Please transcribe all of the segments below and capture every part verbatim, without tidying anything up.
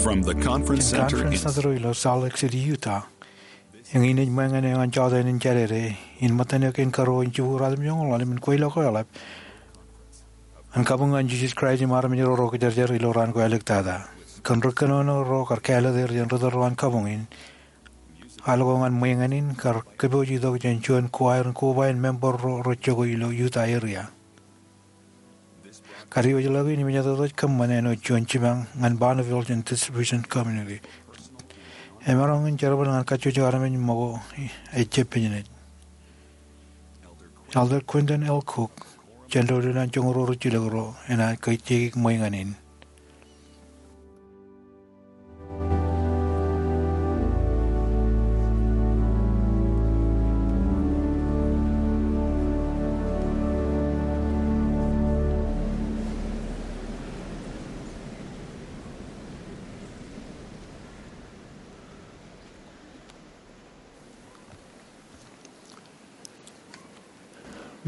From the Conference Center in Conference Center ilo Salt Lake City, Utah. Eñin ej ṃōñā eo an jota in jadede in ṃōttan eo kein karuo in jibukwi ruatimjuonñoul ḷalem in kweilọk eḷap an kabuñ ñan Jisōs Kraist im armej ro ro kōjerajer ilo raan ko āliktata. Kōn ri kōnono ro kar kāālōt er jān ri tōl ro an kabuñ in, al ko ñan ṃweeñān in kar kōpooj itok jān juon kuwaer in koba in member ro rej jokwe ilo Utah area. Kadiwōjḷọk in im ej tok kōṃṃan āinwōt juon jipañ ñan Bonneville jān Distribution Community. Emaroñ in jerbal ñan kajjojo armej ṃōko ej jab pejenej. Elder Quentin L. Cook, Jentail ilo an joñoul ruo rijjilōk ro, enaaj kōjjikōj ṃweeñān in.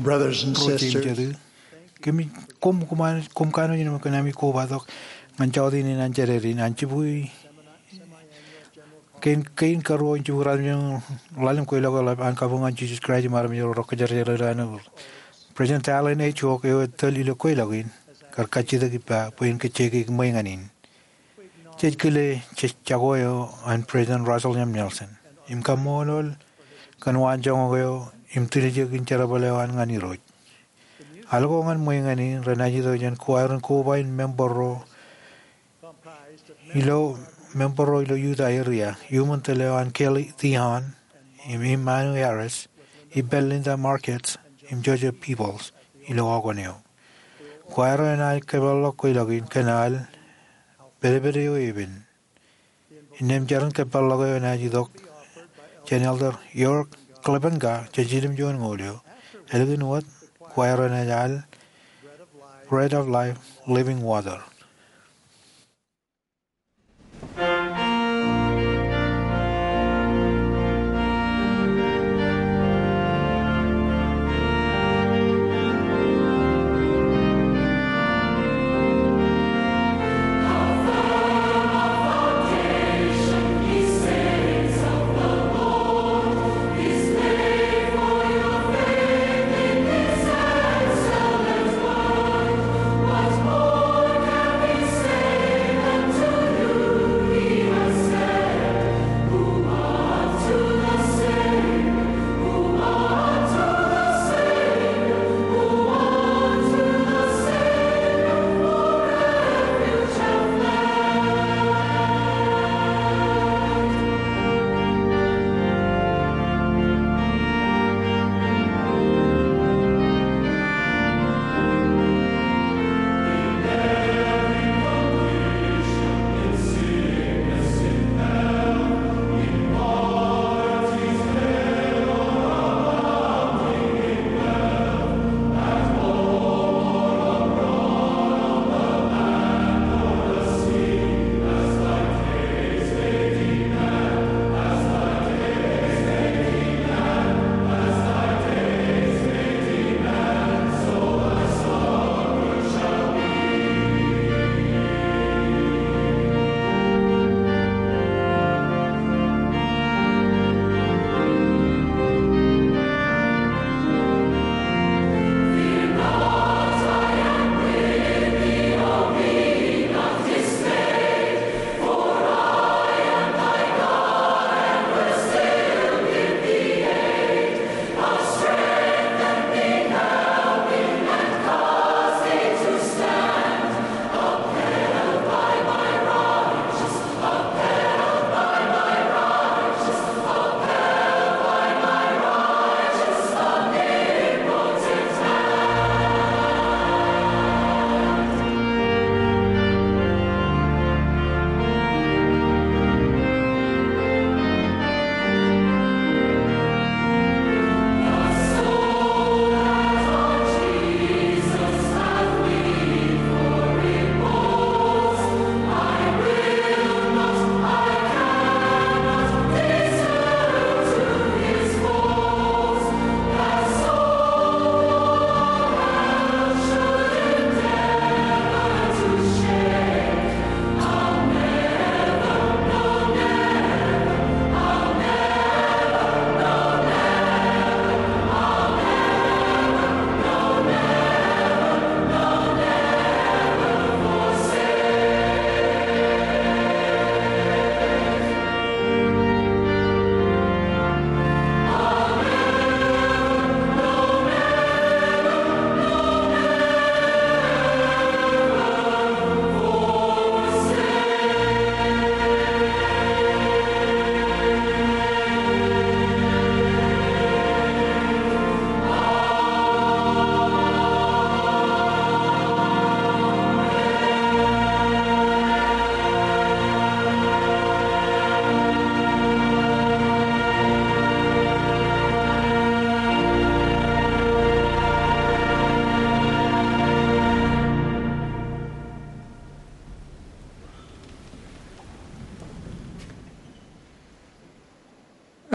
Brothers and sisters, kōmij koṃ, koṃ kanooj in kōn ami kobatok ñan jota in an jadede in an jibukwi kein, kein karuo in jibukwi ruatimjuonñoul ḷalem kweilọk eḷap an kabuñ ñan Jisōs Kraist im armej ro rej kōjerajer ilo āne. President Dallin H. Oaks eo ej tōl ilo kweilọk in kar kajjitōk ippa bwe en kōjjikōj ṃweeñān in. Jej kile jej jako eo an President Russell M. Nelson im kaṃṃoolol kōn waanjoñak eo im tiljek in jerbal eo an ñan Irooj. Al ko ñan ṃweeñān in renaaj itok jān kuwaer in koba in member ro ilo, member ro ilo Utah area, iuṃwin tōl eo an Kelly Theon im Imanu Harris, ippān Linda Markets im Joseph Peebles ilo ioon eo. Kuwaer eo enaaj kōpeḷḷọk kweilọk in kōn al pedped eo epen. Innām jeran kōpeḷḷọk eo enaaj itok jān Elder York Klebenka jān Siljilimjuonñoul eo. Ālikin wōt, kuwaer eo enaaj al Bread of Life, Living Water.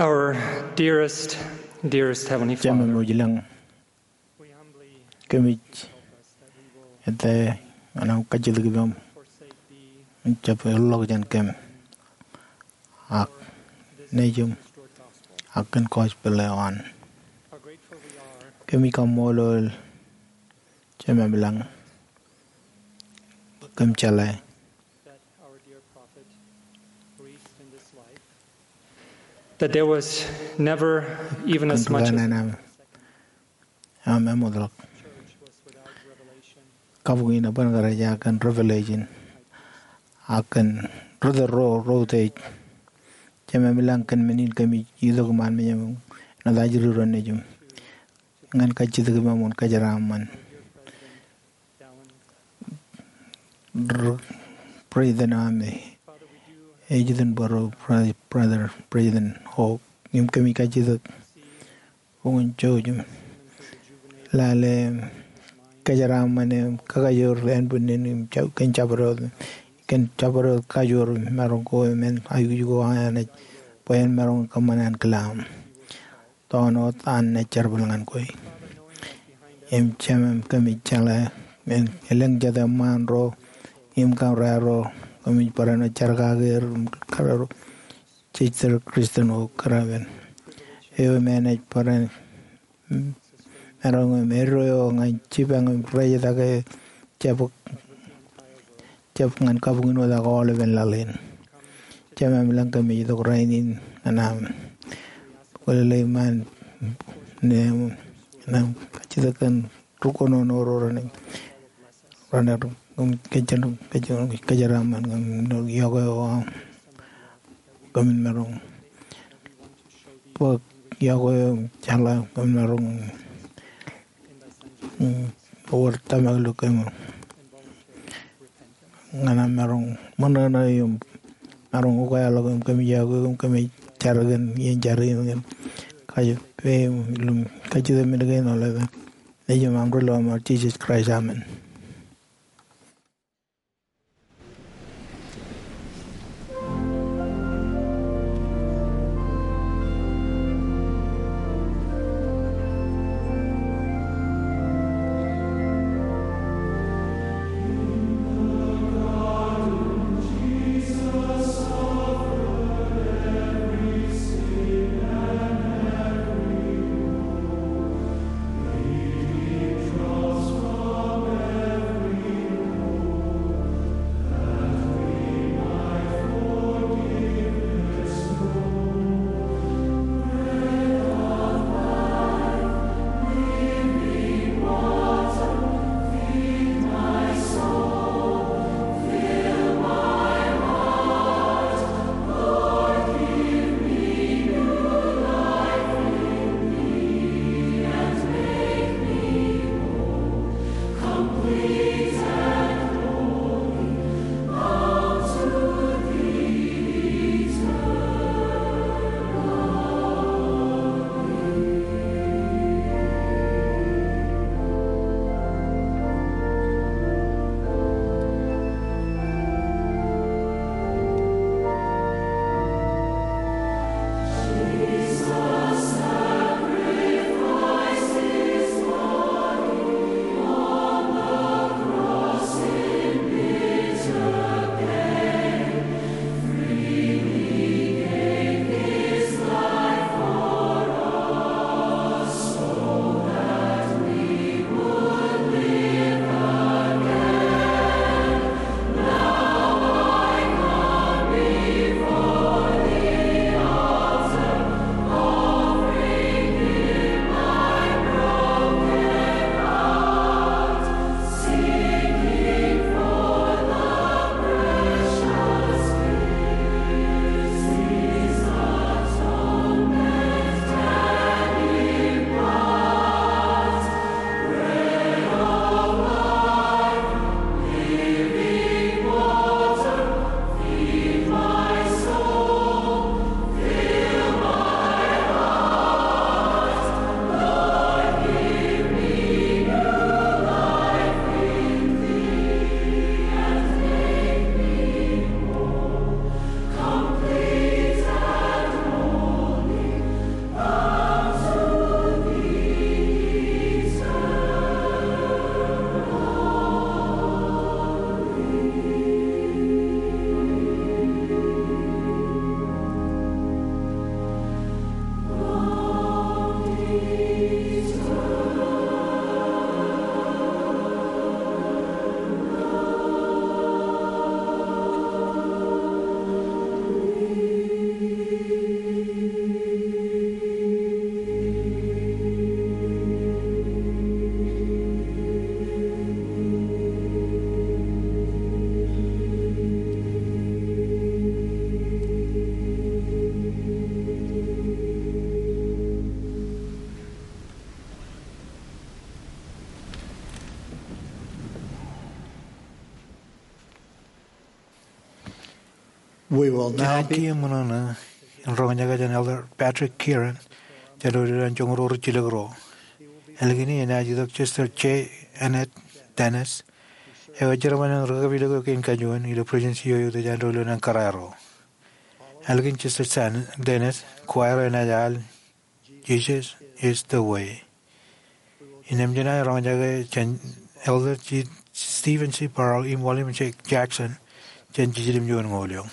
Our dearest, dearest Heavenly Jemem Father, eo ilañ, we humbly kōmij ask that we will ete ñan aṃ kajjitōk ippām forsake thee im jab eḷḷọk jān kōm ak nejūṃ ak kōn gospel eo an. How grateful we are. Kōmij kaṃṃoolol Jemem ilañ bwe kōm jeḷā that our dear prophet breathed in this life, that there was never even as much as kōn rūkanaan aṃ, aṃ eṃootḷọk. Church was without revelation. Kabuñ in eban kōrā ej kōn revelation ak kōn ri tōl ro, ro utiej. Jemem ilañ, kōn men in kōmij itok iṃaan mejaṃ āinwōt ajri ro nejūṃ ñan kajjitōk ippām wōn kōjeraaṃṃan. Ri-, President eo aṃ ej iten bōro, Bro-, Brother President Hope, im kōmij kajjitōk bwe kwōn jouj im lale kōjeraaṃṃan im kakajoor ānbwinnin im ja-, kōn jabdewōt, kōn jabdewōt kajoor im maroñ ko im en aikuj ko an Anij bwe en maroñ kōṃṃan ankilaṃ. Tōn wōt an naaj jerbal ñan kwe. Im Jemem, kōmij jeḷā men elōñ jet eṃṃaan ro im kaurā ro, kōmij barāinwōt jar kake er im kōrā ro jej tōl Christian eo kōrā men eo im enaaj barāinwōt maroñ im eddo eo ñan jipañ im rejetake jab, jab ñan kabuñ in wōt ak aolepen laḷ in. Jemem ilañ, kōmij itok rainin ñan aṃ kwōlele iṃaan neeṃ, ñan aṃ kajjitōk kōn ri kōnono ro renaaj, renaaj kōjeraaṃṃan kōm, kōm iọkwe eo aṃ. Kōmin maroñ bōk iọkwe eo im jeḷā kōmin maroñ, mm, wōr tōmak ilo kōm ñan aṃ maroñ ṃōṇōṇō im maroñ ukeḷọk im kōmij iọkwe im kōmij jar kōn iien jar in kōn kajjitōk, im ilo kajjitōk men kein aolep eo ej ilo eṃṃan Jisōs Kraist, amen. We will now be. Kōṇaan kiiō ṃōṇōṇō in roñjake jān Elder Patrick Kearon jān doulul an joñoul ruo rijjilōk ruo. Ālikin e enaaj itok Sister J. Annette Dennis, eo ej jerbal in ri-kapilōk kein kajuon ilo Presidensi eo eutiej an doulul an kōrā ro. Ālikin Sister San Dennis, choir eo enaaj al Jesus is the Way. Innām jenaaj roñjake jān Elder G. Steven C. Barrow im William J. Jackson jān Jiljilimjuon Ñoul eo.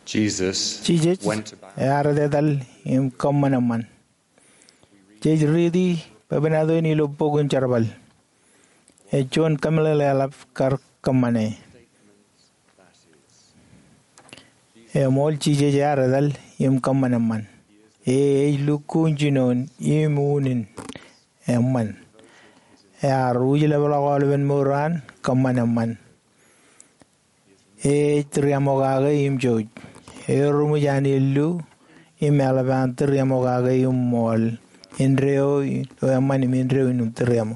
Jesus Jisōs went about ear etetal im kōṃṃan eṃṃan. Jej riiti bwebwenato in ilo bok in Jerbal. Ej juon kōmeḷeḷe eḷap kar kōṃṃane. Eṃool, Jisōs ear etal im kōṃṃan eṃṃan. E ej lukkuun jinoin im unin eṃṃan. Ear wūjlepḷọk aolepen mour eo an kōṃṃan eṃṃan. E ej tūriaṃo kake im jouj. Eruṃwij an illu im eḷap an tūriaṃo kake im ṃool indeeo eo eṃṃan im indeeo in tūriaṃo.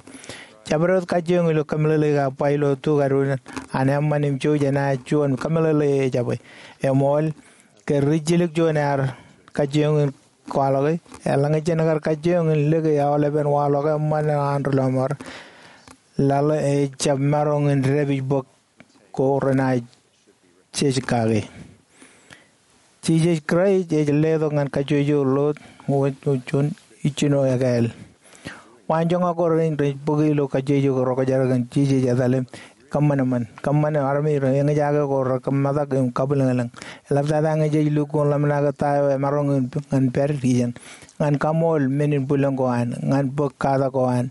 Jabdewōt kajjioñ ilo kōmeḷeḷeik ak ba ilo tukadu an eṃṃan im jouj enaaj juon kōmeḷeḷe ejabwe. Eṃool, ke rijjilōk juon ear kajjioñ in kwaḷọke, eḷaññe jen kar kajjioñ in lōke aolepen waḷọk eṃṃan an ri lọmọọr, laḷ ejjab maroñ in dāpij bōk ko renaaj jej kake. Jisōs Kraist ej letok ñan kajjojo ḷọk wōt juon ijjino ekāāl. Waanjoñak ko rein rej bōke ilo kajjojo ro kōjaro kōn Jisōs etal im kōṃṃan eṃṃan. Kōṃṃan armej ro eñjake ko rekōṃṃan im kabwilōñlōñ. Eḷaptata ñe jej lukkuun ḷōmṇak ta eo emaroñ in ñan pād ijeṇ. Ñan kaṃool men in bwilōñ ko an, ñan bōk katak ko an,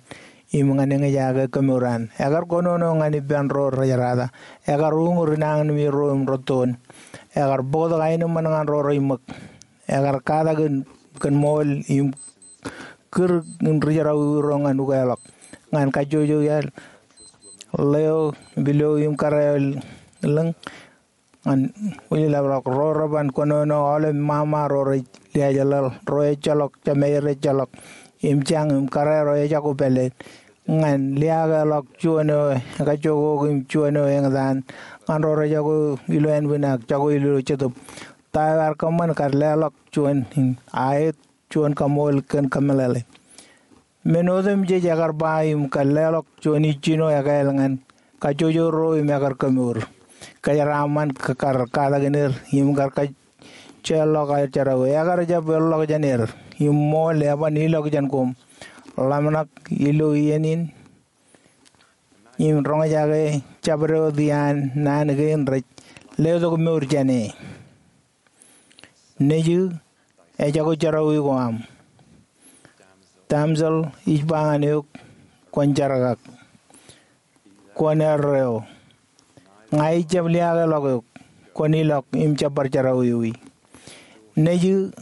im ñan eñjake kōmour an. Ekar kōnono ñan ippān ro rejerata. Ekar uñūr inañinmej ro im rūttoon. Ekar bōktok aenōṃṃan ñan ro rej ṃōk. Ekar katak in kōn ṃool im kūr in ri jerọwiwi ro ñan ukeḷọk. Ñan kajjojo iaḷ, ḷeo, pilo im kōrā eo lōñ, ñan wūjlepḷọk ro reban kōnono aolep ṃaṃa ro rej liaajḷaḷ, ro ejjeḷọk, jemāer ejjeḷọk, im jañ im kōrā ro ejako pāleet. Ñan liaakḷọk juon eo ekajjojo im juon eo eñtaan, ñan ro rejako ilo ānbwin ak jako ilo jetōb. Ta eo ear kōṃṃan kar leḷọk juon in aet juon kaṃool kōn kōmeḷeḷe. Men otemjej ekar ba im kar leḷọk juon ijjino ekāāl ñan kajjojo ro im ekar kōmour. Kōjeraaṃṃan kar katakin er im kar kajjeḷọk aer jerọwiwi. Ekar jab erḷọk jān er im ṃool eban ilọk jān koṃ. Ḷōmṇak ilo iien in im roñjake jabdewōt iaan naan kein rej letok mour jān e. Nejū, ejako jerọwiwi ko aṃ. Damsel, ij ba ñan eok, kwōn jerkak. Kwōn erreo. Ña ij jab liaakḷọk eok, kwōn ilọk im jab bar jerọwiwi. Nejū,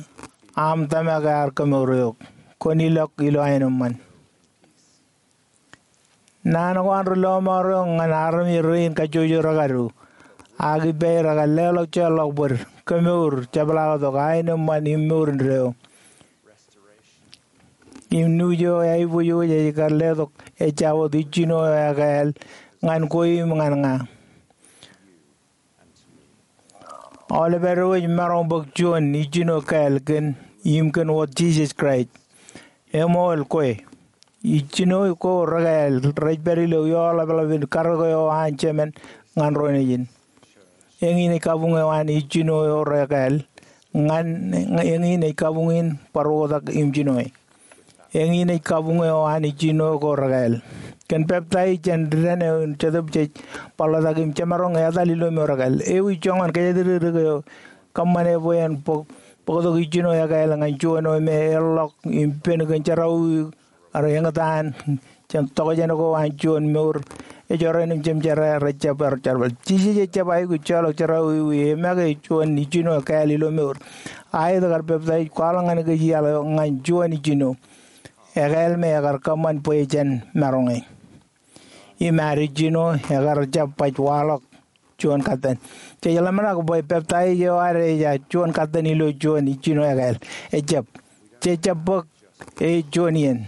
aṃ tōmak ear kōmour eok, kwōn ilọk ilo aenōṃṃan. Naan ko an ri lọmọọr eo ñan armej rein kajjojo rekadu, ak ippāer ekar leḷọk jeorḷọk bōd, kōmour, jepḷaaktok, aenōṃṃan im mour indeeo. Im nuuj eo eaiboojoj ej kar letok ejja wōt ijjino eo ekāāl ñan kwe im ñan ña. Aolep ad eo ej maroñ bōk juon ijjino kāāl kōn im kōn wōt Jisōs Kraist. Eṃool kwe. Ijjino ko rekāāl rej pād ilo ioḷapḷap in karōk eo an Jemān ñan ro nejin. Eñin ej kabuñ eo an ijjino eo rekāāl. Ñan eñin ej kabuñ in bar oktak im jinoe. Eñin ej kabuñ eo an ijjino ko rekāāl. Kōn peptaij jān dān eo im Jetōb jej bar ḷotak im jemaroñ etal ilo mour ekāāl. Ewi joñan kōjatdikdik eo kōṃṃane bwe en bōk, bōktok ijjino ekāāl ñan juon eo me eḷḷọk im pen kōn jerọwiwi eo eñtaan jān tokjān ko an juon mour ejorrāān im jemjerā rejjab bar jerbal. Jisōs ejjab aikuj jeorḷọk jerọwiwi, e make juon ijjino ekāāl ilo mour. Aet kar peptaij kwaḷọk ñan kōj iaḷ eo ñan juon ijjino ekāāl me ekar kōṃṃan bwe jen maroñe. Im ad ijjino ekar jab baj waḷọk juon katten. Jej ḷōmṇak bwe peptaij eo ad ej juon katten ilo juon ijjino ekāāl. Ejjab. Jej jab bōk ej juon iien.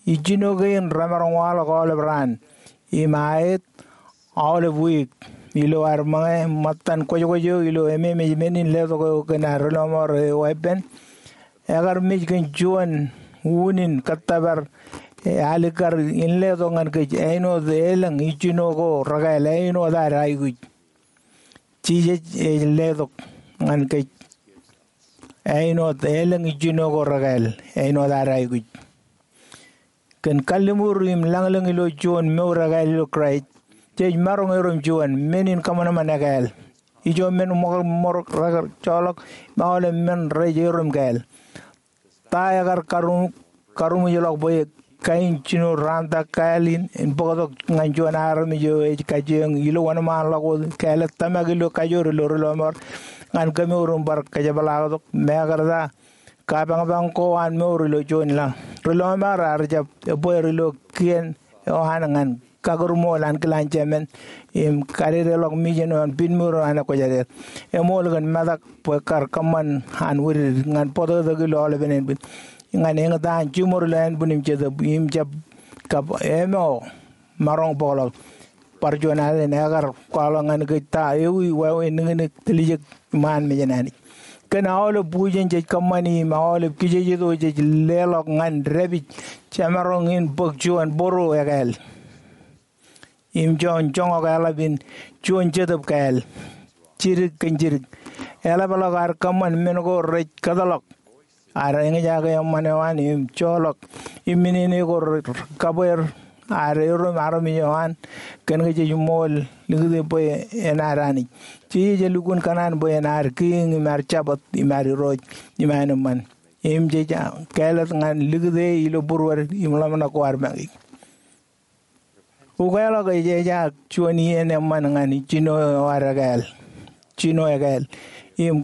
Ijjino kein remaroñ waḷọk aolep raan im aet aolep wiik ilo ad ṃōñā ṃōttan kwōjkwōj eo ilo ememej men in letok eo kōn ad ri lọmọọr eo weeppān. Ekar mej kōn juon unin kōttōpar alikkar in letok ñan kōj āinwōt elōñ ijjino ko rekāāl āinwōt ad aikuj. Jisōs ej letok ñan kōj āinwōt elōñ ijjino ko rekāāl āinwōt ad aikuj. Kōn kalliṃur im lañlōñ ilo juon mour ekāāl ilo Kraist, jej maroñ erom juon men in kōṃanṃan ekāāl. Ijo men ṃōk, ṃōk rekar joḷọk im aolep men rej erom kāāl. Ta ekar karuṃ, karuṃwijḷọk bwe kain jino raantak kāāl in en bōktok ñan juon armej eo ej kajjioñ ilo wōnṃaanḷọk wōt kāālōt tōmak ilo kajoor ilo ri lọmọọr ñan kemour im bar kajepḷaaktok? Mekarta kapañpañ ko an mour ilo juon laḷ. Ri lọmọọr ear jab ebbeer ilo kien eo an ñan kakūrṃool ankilaan jemān im kadedeḷọk mijen eo an pinmour eo an ekwōjarjar. Eṃool kōn metak bwe kar kōṃṃan an wūdidik ñan bōtōktōk ilo aolepen ānbwin, ñan eñtaan jiṃor ilo ānbwin im jetōb im jab kab āmo maroñ bōkḷọk. Bar juon alen ekar kwaḷọk ñan kōj ta ewi wāween niknik, tiljek iṃaan mejān Anij. Kōn aolep bujen jej kōṃṃani im aolep kijejeto jej leḷọk ñan dāpij, jemaroñ in bōk juon bōro ekāāl im joñak joñak eḷap in juon jetōb kāāl, jidik kōn jidik. Eḷapḷọk ad kōṃṃan men ko rej kōtḷọk ad eñjake eṃṃan eo an im joḷọk im minene ko rej kabweer ad erom armej eo an kōn ke jej ṃool likūt e bwe en ad Anij. Jisōs elukkuun kōṇaan bwe en ad Kiiñ im ad Jabōt im ad Irooj im aenōṃṃan. Im jej kāālōt ñan likūt e ilo būruod im ḷōmṇak ko ad make. Ukeḷọk ej ejaak juon iien eṃṃan ñan jino eo ad ekāāl, jino ekāāl, im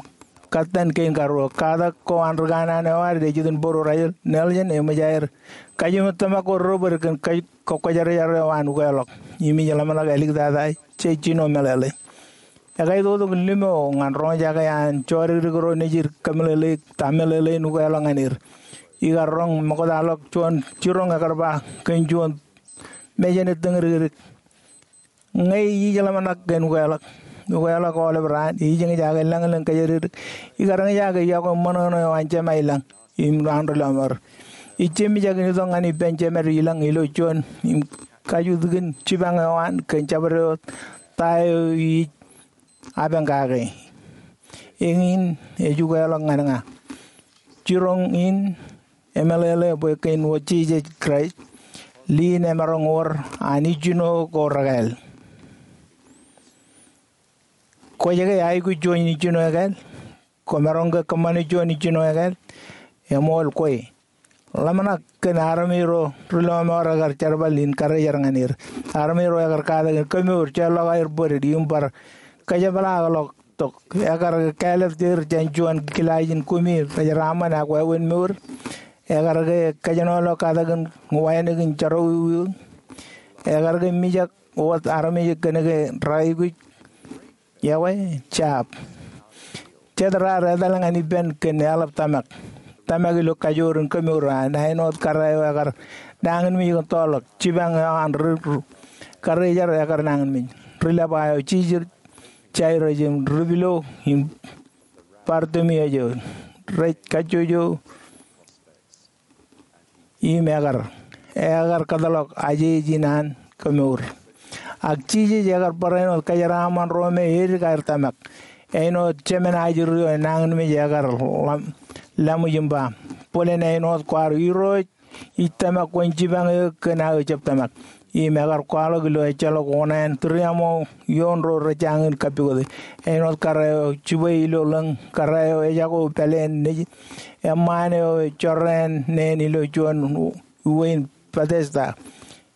katten kein karuo. Katak ko an ri kanaan eo ad ej itok Bōro Russell Nelson eṃōj aer kajiṃwe tōmak ko rebōd kōn kōjkwōjarjar eo an ukeḷọk im ij ḷōmṇak āliktata jej jino meḷeḷe. Ekaitoktok limo ñan roñjake an jodikdik ro nejid kōmeḷeḷeik ta meḷeḷein ukeḷọk ñan er. Ikar roñ ṃoktaḷọk juon jiroñ ekar ba kōn juon mejān ettōñdikdik. Ñe ij ḷōmṇak kōn ukeḷọk, ukeḷọk aolep raan ij eñjake lañlōñ kōjatdikdik, ikar eñjake yokwe ṃōṇōṇō eo an Jema ilañ im an ri lọmọọr. Ij jemijak in itok ñan ippān Jemād ilañ ilo juon im kajjitōkin jipañ eo an kōn jabdewōt ta eo ij apañ kake. Eñin ej ukeḷọk ñan ña. Jiroñ in emeḷeḷe bwe kein wōt Jisōs Kraist, lin emaroñ wōr an ijjino ko rekāāl. Kwōj ke aikuj juon ijjino ekāāl? Kwōmaroñ ke kōṃṃane juon ijjino ekāāl? Eṃool kwe. Ḷōmṇak kōn armej ro ri lọmọọr ekar jerbal in karejar ñan er. Armej ro ekar katak in kemour, jeorḷọk aer bōd im bar kajepḷaakḷọk tok. Ekar ke kāālōt er jān juon kilaajin kumi rejeraaṃṃan ak wāween mour? Ekar ke kōjenolọk katakin wānōk in jerọwiwi? Ekar ke mijak wōt armej kōn ke reaikuj? Yokwe, jab. Jet raar etal ñan ippān kōn eḷap tōmak. Tōmak ilo kajoor in kemour an āinwōt kōrā eo ekar nañinmej kōn toorḷọk. Jipañ eo an ri, ri karejar ekar nañinmej. Ri leba eo, Jisōs, Jairus im ri pilo im Bartimius eo, rej kajjojo im ekar, ekar kōtḷọk ajej in an kemour. Ak Jisōs ekar barāinwōt kajeraaṃṃan ro me edik aer tōmak. Āinwōt jemān ajri eo enañinmej ekar laṃ, laṃōj im ba, bōlen āinwōt kwaar Irooj ij tōmak kwōn jipañ eō kōn aō jab tōmak. Im ekar kwaḷọk ilo ejjeḷọk oṇāān tūriaṃo ioon ro rej jañin kappukot e. Āinwōt kōrā eo jibwe ilo ḷōñ, kōrā eo ejako pāleen nejin, eṃṃaan eo ej jorrāān neen ilo juon uwe in Betesda.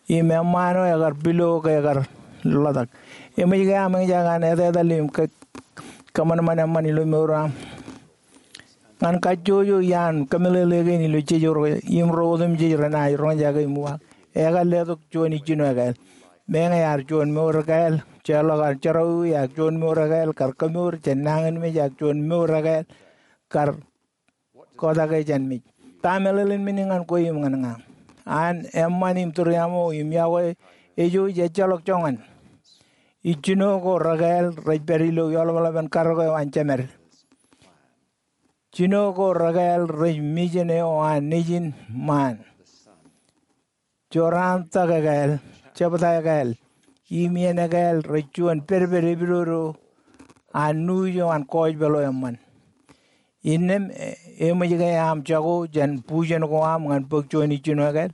Im eṃṃaan eo ekar pilo ke ekar ḷotak. Eṃōj ke aṃ eñjake an etetal im ke, kōṃanṃan eṃṃan ilo mour eo aṃ? Ñan kajjojo iaan kōmeḷeḷe kein ilo jejjo ro im ro otemjej renaaj roñjake im uwaak, ekar letok juon ijjino ekāāl. Meñe ear juon mour ekāāl, jeorḷọk an jerọwiwi ak juon mour ekāāl kar kemour jān nañinmej ak juon mour ekāāl kar kōtake jān mej. Ta meḷeḷein men in ñan kwe im ñan ña? An eṃṃan im tūriaṃo im yokwe ejouj ejjeḷọk joñan. Ijjino ko rekāāl rej pād ilo eḷapḷap in karōk eo an Jemed. Jino ko rekāāl rej mijen eo an Nejin ṃaan. Joraan tak ekāāl, jebta ekāāl, im iien ekāāl rej juon pedped epidodo an nuuj eo an gospel eo eṃṃan. Innām, eṃōj ke aṃ jako jān bujen ko aṃ ñan bōk juon ijjino ekāāl?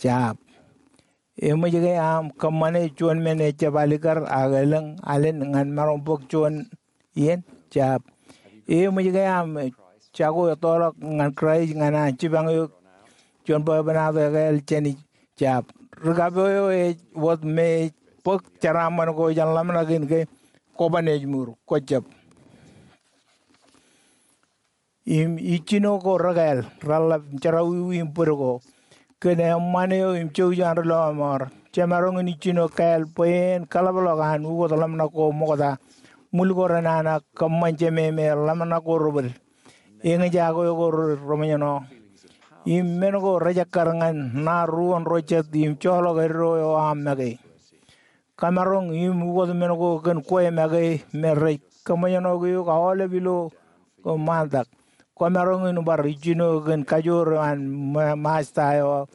Jab. Eṃōj ke aṃ kōṃṃane juon men ejjab alikkar ak elōñ alen ñan maroñ bōk juon iien? Jab. Eṃōj ke aṃ jako ettoḷọk ñan Kraist ñan an jipañ eok juon bwebwenato ekāāl jān ijin? Jab. Ri kapo eo ej wōt me ej bōk jeraaṃṃan ko jān ḷōmṇak in ke kwōban ej mour. Kwōjab. Im ijjino ko rekāāl, reḷḷap, jerọwiwi im bōd ko, kōn eṃṃan eo im jouj eo an ri lọmọọr. Jemaroñ in ijjino kāāl bwe en kaḷapḷọk an ukōt ḷōmṇak ko ṃokta, ṃwil ko renana, kōṃṃan jememe, ḷōmṇak ko rebōd, eñjake ko reṃōjṇọ, im men ko rejekkar ñan ṇa ruon ro jet im joḷọk eddo eo aṃ make. Kōmaroñ im ukōt men ko kōn kwe make me rej kōṃōjṇọik eok aolep ilo ko ṃaantak. Kōmaroñ in bar ijjino kōn kajoor eo an ma-, Masta eo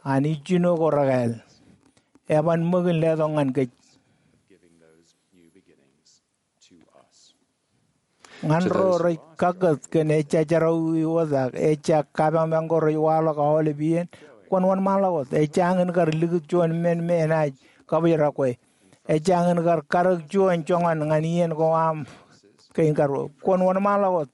an ijjino ko rekāāl. Eban ṃōk in letok ñan kōj. Ñan ro rej kakkōt kōn ejja jerọwiwi wōt ak ejja kapañpañ ko rej waḷọk aolep iien, kwōn wōnṃaanḷọk wōt. Ejjañin kar likūt juon men me enaaj kabōjrak kwe. Ejjañin kar karōk juon joñan ñan iien ko aṃ kein karuo. Kwōn wōnṃaanḷọk wōt.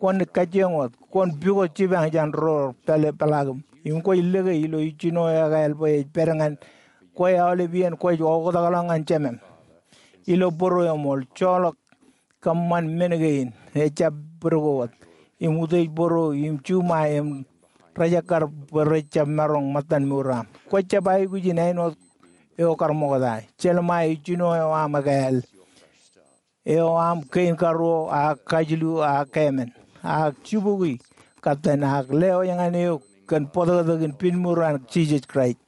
Kwōn kajjioñ wōt. Kwōn pukot jipañ jān ro pāle peḷaakim. Im kwōj lōke ilo ijjino ekāāl bwe ej pād ñan kwe aolep iien kwōj oktakḷọk ñan Jemem. Ilo bōro eṃool, joḷọk kōṃṃan men kein, ejjab bōd ko wōt, im utiej bōro, im juṃae, im rejekkar bwe rejjab maroñ ṃōttan mour aṃ. Kwōjab aikuj in āinwōt eo kar ṃokta. Jelṃae ijjino eo aṃ ekāāl, eo aṃ kein karuo, ak kajilu, ak kāmen, ak jibukwi, kōttan, ak lewōj ñan eok kōn bōtōktōkin pinmour an Jisōs Kraist.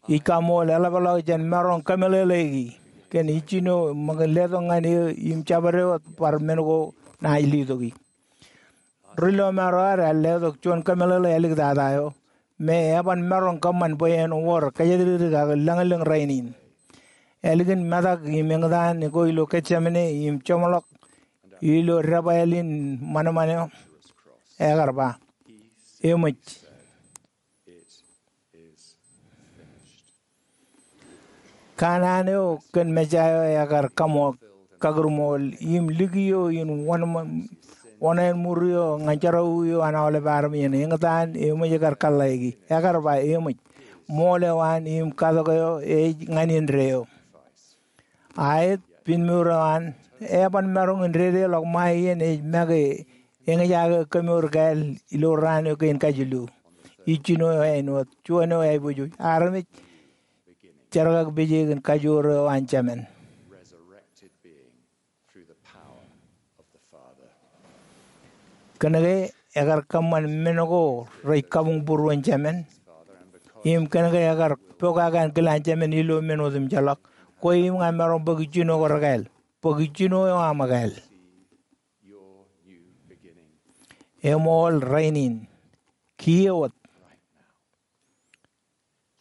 Ij kaṃool eḷapḷọk jān maroñ kōmeḷeḷeiki kōn ijjino ṃōk in letok ñan eō im jabdewōt bar men ko naaj letok ie. Ri lọmọọr eo ad ear letok juon kōmeḷeḷe āliktata eo me eban maroñ kōṃṃan bwe en wor kōjatdikdik ak lōñlōñ rainin. Ālikin metak im eñtaan ko ilo Getsemane im jeṃḷọk ilo debwāāl in ṃanṃan eo, ekar ba, eṃōj. Kanaan eo kōn Mesaia eo ekar kaṃool, kakūrmool, im likio in wōn, wōn āinmur eo ñan jerọwiwi eo an aolep armej en eñtaan, eṃōj kar kōḷḷāiki. Ekar ba, eṃōj. Ṃool eo an im katok eo ej ñan indeeo. Aet, pinmour eo an, eban maroñ in dedeḷọk ṃae iien ej make eñjake kōmour kāāl ilo raan eo kein kajilu. Ijjino eo āinwōt, juon eo aiboojoj, armej jerkakpeje kōn kajoor eo an Jemān. Kōnke ekar kōṃṃan men ko rej kabuñbūruon Jemān, im kōnke ekar pokake ankilaan Jemān ilo men otemjeḷọk, kwe im ña maroñ bōk ijjino ko rekāāl, bōk ijjino eo aṃ ekāāl. Eṃool rainin. Kiiō wōt.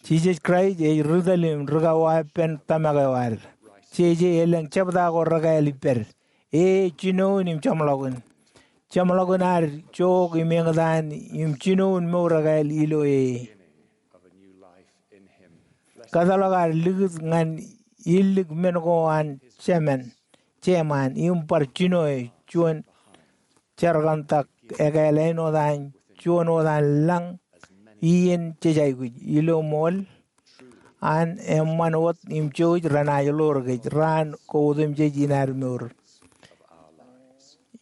Jisōs Kraist ej ri tōl im ri kauweeppān tōmak eo ad. Jeje elōñ jebta ko rekāāl ippād. E jinoin im jeṃḷọkin. Jeṃḷọkin ad jook im eñtaan im jinoin mour ekāāl ilo e. Kōtḷọk ad likūt ñan illik men ko an Jemān, Jemān, im bar jinoe juon jerkantak ekāāl āinwōt an juon wōt an lañ iien jej aikuj ilo ṃool an eṃṃan wōt im jouj renaaj ḷoor kōj raan ko otemjej in ad mour.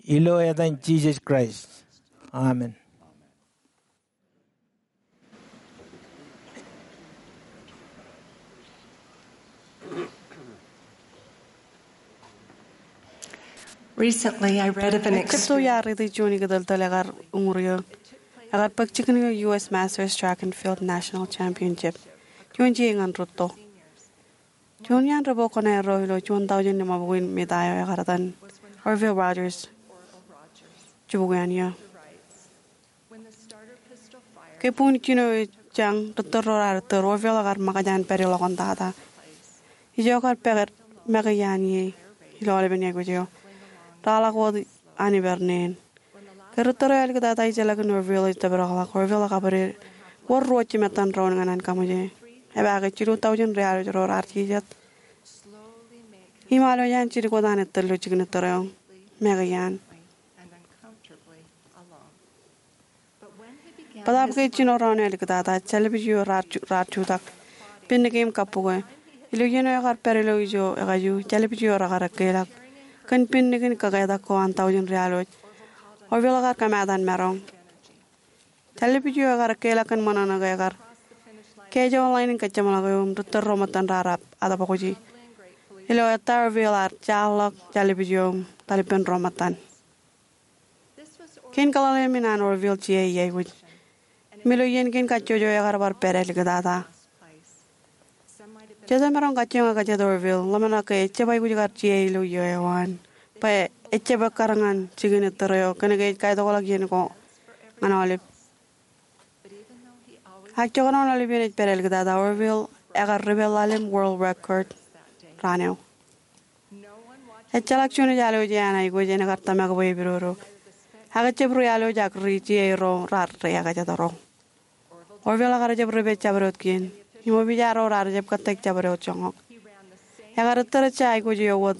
Ilo etan Jisōs Kraist. Amen. Recently, I read of an Ekkōtto iar riiti juon ikōtōltōl ekar uñūr ioon Ekar bōk jikin ilo U S Masters Track and Field National Championship. Juon jiej ñan rūtto. Juon iaan ri-bok koṇaerro ilo juon taujin limabukwi in mita eo ekar etan Orville Rogers jibukwi an iiō. Ke buñjino ej jañ, ri-tōl ro raar tōl, Orville ekar ṃōkaj an pād iḷọk ioon tata. Ijo ekar pād make iaan ie ilo aolepen aikuj eo. Raar ḷak wōt an ippāer neen. Ke ri-tōl eo āliktata ejjeḷọk in Orville ej tōprak ḷọk, Orville ekabwided wōr ruo jimettan doon ñan an kaṃōje. Epaake jilu taujin riaḷooj ro raar jijet im alwōj an jidik wōt an ettōr ilo jikin ettōr eo make iaan. Bōtaab ke jino doon eo āliktata, jālbij eo raar ju-, raar jutak pinnikin im kappukwe. Ilo iien eo ekar pād ilo ijo ekaju, jālbij eo raar ekkālọk kōn pinnikin kōketak ko an taujin riaḷooj. Orville ekar kōmaat an maroñ. Jālbij eo ekar ekkālọk kōn ṃōṇōṇō ke ekar kejo lain in kōjjeṃḷọk eō im ri-tōl ro ṃōttan raar ab-, atbōkje. Ilo ettā Orville ear jaarḷọk jālbij eo im etal ippān ro ṃōttan. Kein kōḷḷāḷḷeeṃ in an Orville jiai i aikuj. Im ilo iien kein kajjojo ekar bar pād āliktata. Jet emaroñ kajjioñ ekajet Orville, ḷōmṇak ke ejjab aikuj kar jiai ilo iiō eo an, bwe ejjab ekkar ñan jikin ettōr eo kōnke ej kaitokḷọk iien ko ñan aolep. Ak jekdọọn aolep iien ej pād āliktata, Orville ekar ripeḷḷaḷ im world record raan eo. Ejjeḷọk juon ej alwōj ean aikuj en kar tōmak bwe epidodo. Ak ejjab riaḷooj ak ri-jiai ro raar ri-ekajetro. Orville ekar jab ripe jabdewōt kien. Im opija ro raar jab kōttāik jabdewōt joñak. Ekar ettōr ejja aikuj eo wōt.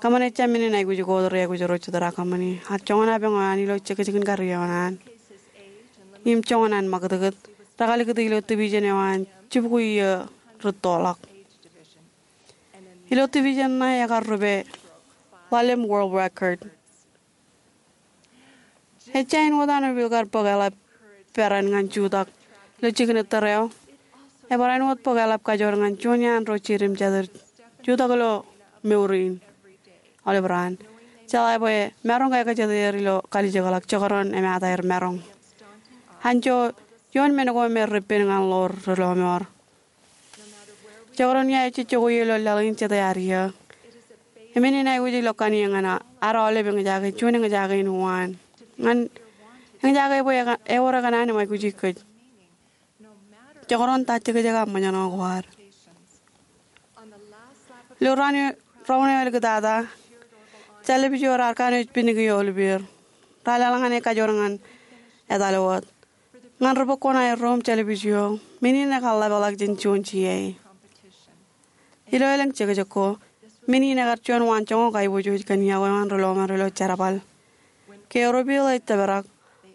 Kōṃṃane ejja men in aikuj ko ri-aikuj ro jitōñ raar kōṃṃani. Ak joñan apañ eo an ilo jekjek in kariō eo an, im joñan an ṃakūtkūt, rekalikūt ilo division eo an jibukwi iiō rūttoḷọk. Ilo division ṇe ekar ripeḷḷaḷ im world record. Ejja āinwōt an Orville kar bōk eḷap peran ñan jutak ilo jikin ettōr eo, ebar āinwōt bōk eḷap kajoor ñan juon iaan ro jied im jatid jutak ilo mour in aolep raan. Jeḷā bwe maroñ ke ekajet er ilo kalijekḷọk jekdọọn emataer maroñ. Anjọ, ioon men ko me rej pen ñan ḷoor ri-lọmọọr. Jekdọọn ia ejejjek ilo laḷ in jete ad iiō. Emen in aikuj ilo kaniō ñan ad aolep eñjake, juon eñjake in uwaan. Ñan eñjake bwe ewōr ekōṇaan im aikuji kōj. Jekdọọn ta jekjek aṃ ṃōjṇọ ko ad. Ilo raan eo, raan eo āliktata, jālbij eo raar kanooj pinnikin eo ḷōḷḷap er. Raar leḷọk ñan e kajoor ñan etal wōt. Ñan ri-bok koṇaerro im jālbij eo, men in ekar ḷapḷọk jān juon jiai. Ilo elōñ jekjek ko, men in ekar juon waanjoñak aiboojoj kōn iọkwe eo an ri-lọmọọr ilo jerbal. Ke Orville ej tōprak,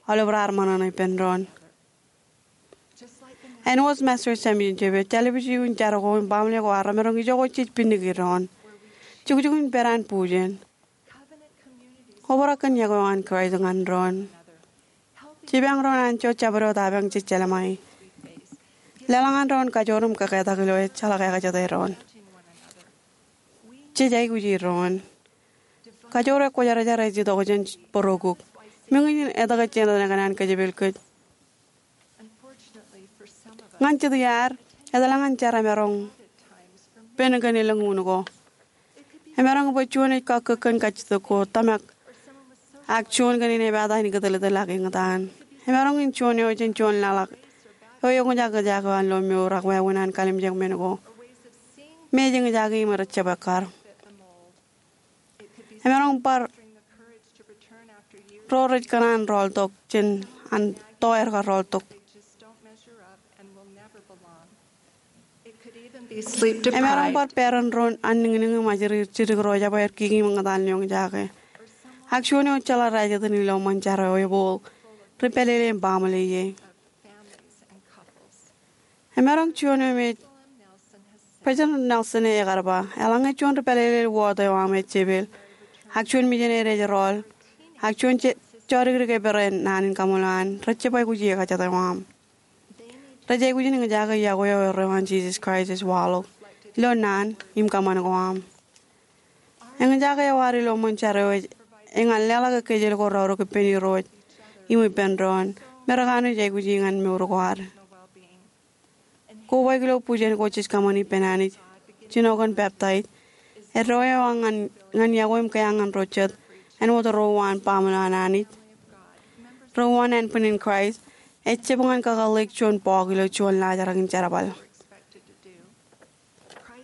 aolep raar ṃōṇōṇō ippān doon. Āinwōt Masters Championship eo, jālbij eo in jar ko im baaṃle ko ar remaroñ ijoko jej pinnikin doon. Jukjuk in pād an bujen. Obrak kōn iọkwe eo an Kraist ñan doon. Jipañ doon anjọ jabdewōt apañ jej jelṃae. Leḷọk ñan doon kajoor im kōketak ilo ejjeḷọk ekajete doon. Jej aikuji doon. Kajoor ekwōjarjar ej itok jān bōrokuk. Im eñin etke jenaaj kōṇaan kōjepel kōj. Ñan jet iaad, etal ñan jar emaroñ pen kōn elōñ un ko. Emaroñ bwe juon ej kakkōk kōn kajjitōk ko, tōmak, ak juon kein ej pād in kōtōltōl ak eñtaan. Emaroñ in juon eo jān juon laḷ ak eo eñjake eo an lo mour ak wāween an kalimjek men ko me ej eñjake im rej jab ekkar. Emaroñ bar ro rej kōṇaan rọọltok jān an to aer kar rọọltok. Emaroñ bar peran ro anniñniñ im ajri jidik ro jab aer kiki im eñtaan ilo eñjake. Ak juon eo ejjeḷọk rajetan ilo ṃōn jar eo ebooḷ ri pālele im baaṃle ie. Emaroñ juon eo me President Nelson ekar ba, eḷaññe juon ri pālele wōt eo aṃ ejepel, ak juon misineri ej rọọl, ak juon je-, jodikdik ej pere naan in kaṃṃoolol an, rej jab aikuji ekajete eo aṃ. Rej aikuj in eñjake iọkwe eo erreo an Jisōs Kraist ej waḷọk ilo naan im kōṃṃan ko aṃ. Eñjake eo ad ilo ṃōn jar eo ej eñin leḷọk kōj ilo ko raorōk ippān Irooj im ippān doon. Merekanooj aikuji ñan mour ko ad. Kobaik ilo bujen ko jej kōṃṃani ippān Anij, jino kōn peptaij, eddo eo ñan, ñan iọkwe im kea ñan ro jet āinwōt ro uwaan baaṃle an Anij, ro uwaan ānbwinnin Kraist, ejjab ñan kakōḷḷeik juon bọọk ilo juon laajrak in jerbal.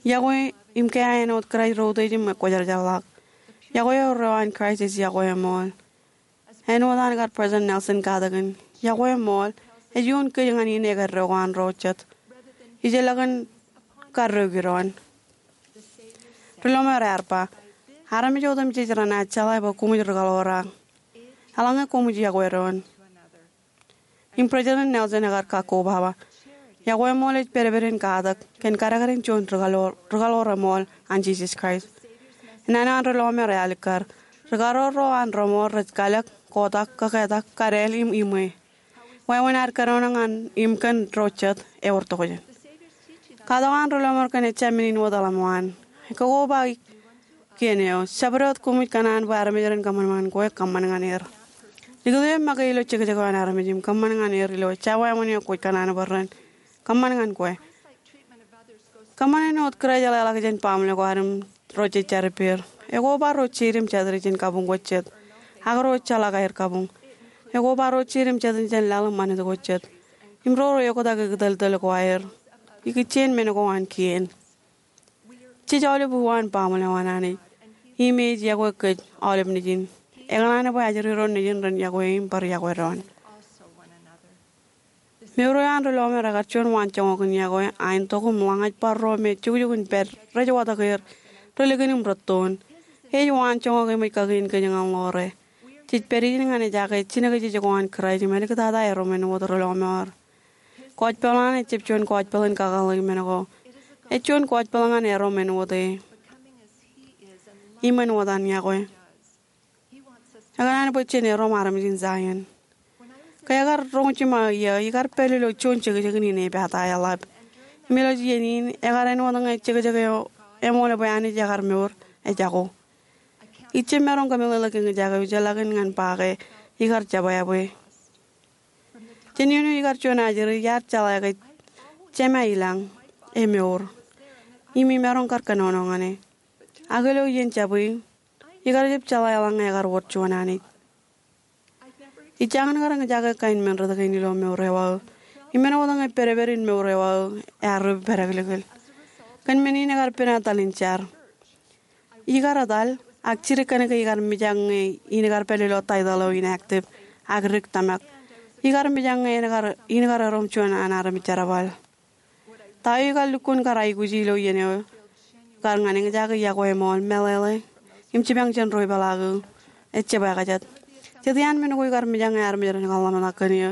Iọkwe im kea āinwōt Kraist ro utiej im ekwōjarjarḷọk. Iọkwe eo ro an Kraist ej iọkwe eṃool. Āinwōt an kar President Nelson katakin, iọkwe eṃool ej iuun kōj ñan in ekddo ko an ro jet. Ijellọkin kaddoiki doon. Ri lọmọọr ear ba, armej otemjej renaaj jeḷā bwe koṃij ri kaḷoor ak eḷaññe koṃij iọkwe doon. Im President Nelson ekar kakkobaba, iọkwe eṃool ej pedped in katak kōn kadkadin juon ri kaḷoor, ri kaḷoor eṃool an Jisōs Kraist. Naan eo an ri lọmọọr ealikkar, ri kaḷoor ro an reṃool rej kalōk, kotak, kaketak, kadeel im iṃwe. Wāween ad kōnono ñan im kōn ro jet ewōr tokjān. Katak eo an ri lọmọọr kōn ejja men in wōt eḷap eo an. Ekkokoba kien eo, jabdewōt wōt koṃij kōṇaan bwe armej ren kōṃanṃan kwe, kōṃṃan ñan er. Likūt eō make ilo jekjek eo an armej im kōṃṃan ñan er ilo ejja wāween eo kwōj kōṇaan bwe ren kōṃṃan ñan kwe. Kōṃṃan āinwōt Kraist eḷḷāḷọk jān baaṃle ko ad im ro jej jar ippāer. Ekoba ro jeid im jatid jān kabuñ ko jet, ak ro ejjeḷọk aer kabuñ. Ekoba ro jeid im jatid jān laḷ im ṃanit ko jet, im ro rej oktak ikōtōltōl ko aer. Ikijjien men ko an kien. Jej aolep uwaan baaṃle eo an Anij, im ej iọkwe kōj aolep nejin. Ekōṇaan bwe ajri doon nejin ren iọkwe im bar iọkwe doon. Mour eo an ri lọmọọr ekar juon waanjoñak in iọkwe, aentok im ḷōñaj bar ro me jukjuk in pād rej watōk er, ri likin im rūttoon. Ej waanjoñak eṃōj kakien kōj ñan ḷoore. Jej pād ijin ñan ejaake jinōkjeje ko an Kraist im āliktata erom āinwōt ri lọmọọr. Gospel eo an ejjab juon gospel in kakōḷḷe men ko. Ej juon gospel ñan erom āinwōt e im āinwōt an iọkwe. Ekōṇaan bwe jen erom armej in Zion. Ke ekar roñ jiṃa iiō, ikar pād ilo juon jekjekin in epata eḷap. Im ilo iien in, ekar āinwōt ñe jekjek eo eṃool bwe Anij ekar mour, ejako. Ij jab maroñ kōmeḷeḷe ke eñjake ijellọkin ñan ba ke ikar jab ebwe. Jān iien eo ikar juon ajri, iar jeḷā ke Jema ilañ, emour, im imaroñ kar kōnono ñan e. Ak ilo iien jabwe, ikar jab jeḷā eḷaññe ekar wōr juon Anij. Ij jañin kar eñjake kain men rot kein ilo mour eo aō. Im āinwōt ñe pedped in mour eo aō ear ri pedekḷikḷ. Kōn men in ekar pen etal in jar. Ikar etal, ak jidik kōn ke ikar mijak ñe in kar pād ilo title eo inactive, ak dik tōmak. Ikar mijak ñe in kar, in kar erom juon an armej jerbal. Ta eo ikar lukkuun kar aikuji ilo iien eo, kar ñan eñjake iọkwe eṃool, meḷeḷe, im jipañ jān ro ipeḷaak eō, ejjab ekajet. Jet iaan men ko ikar mijak ñe armej ren kar ḷōmṇak kōn eō,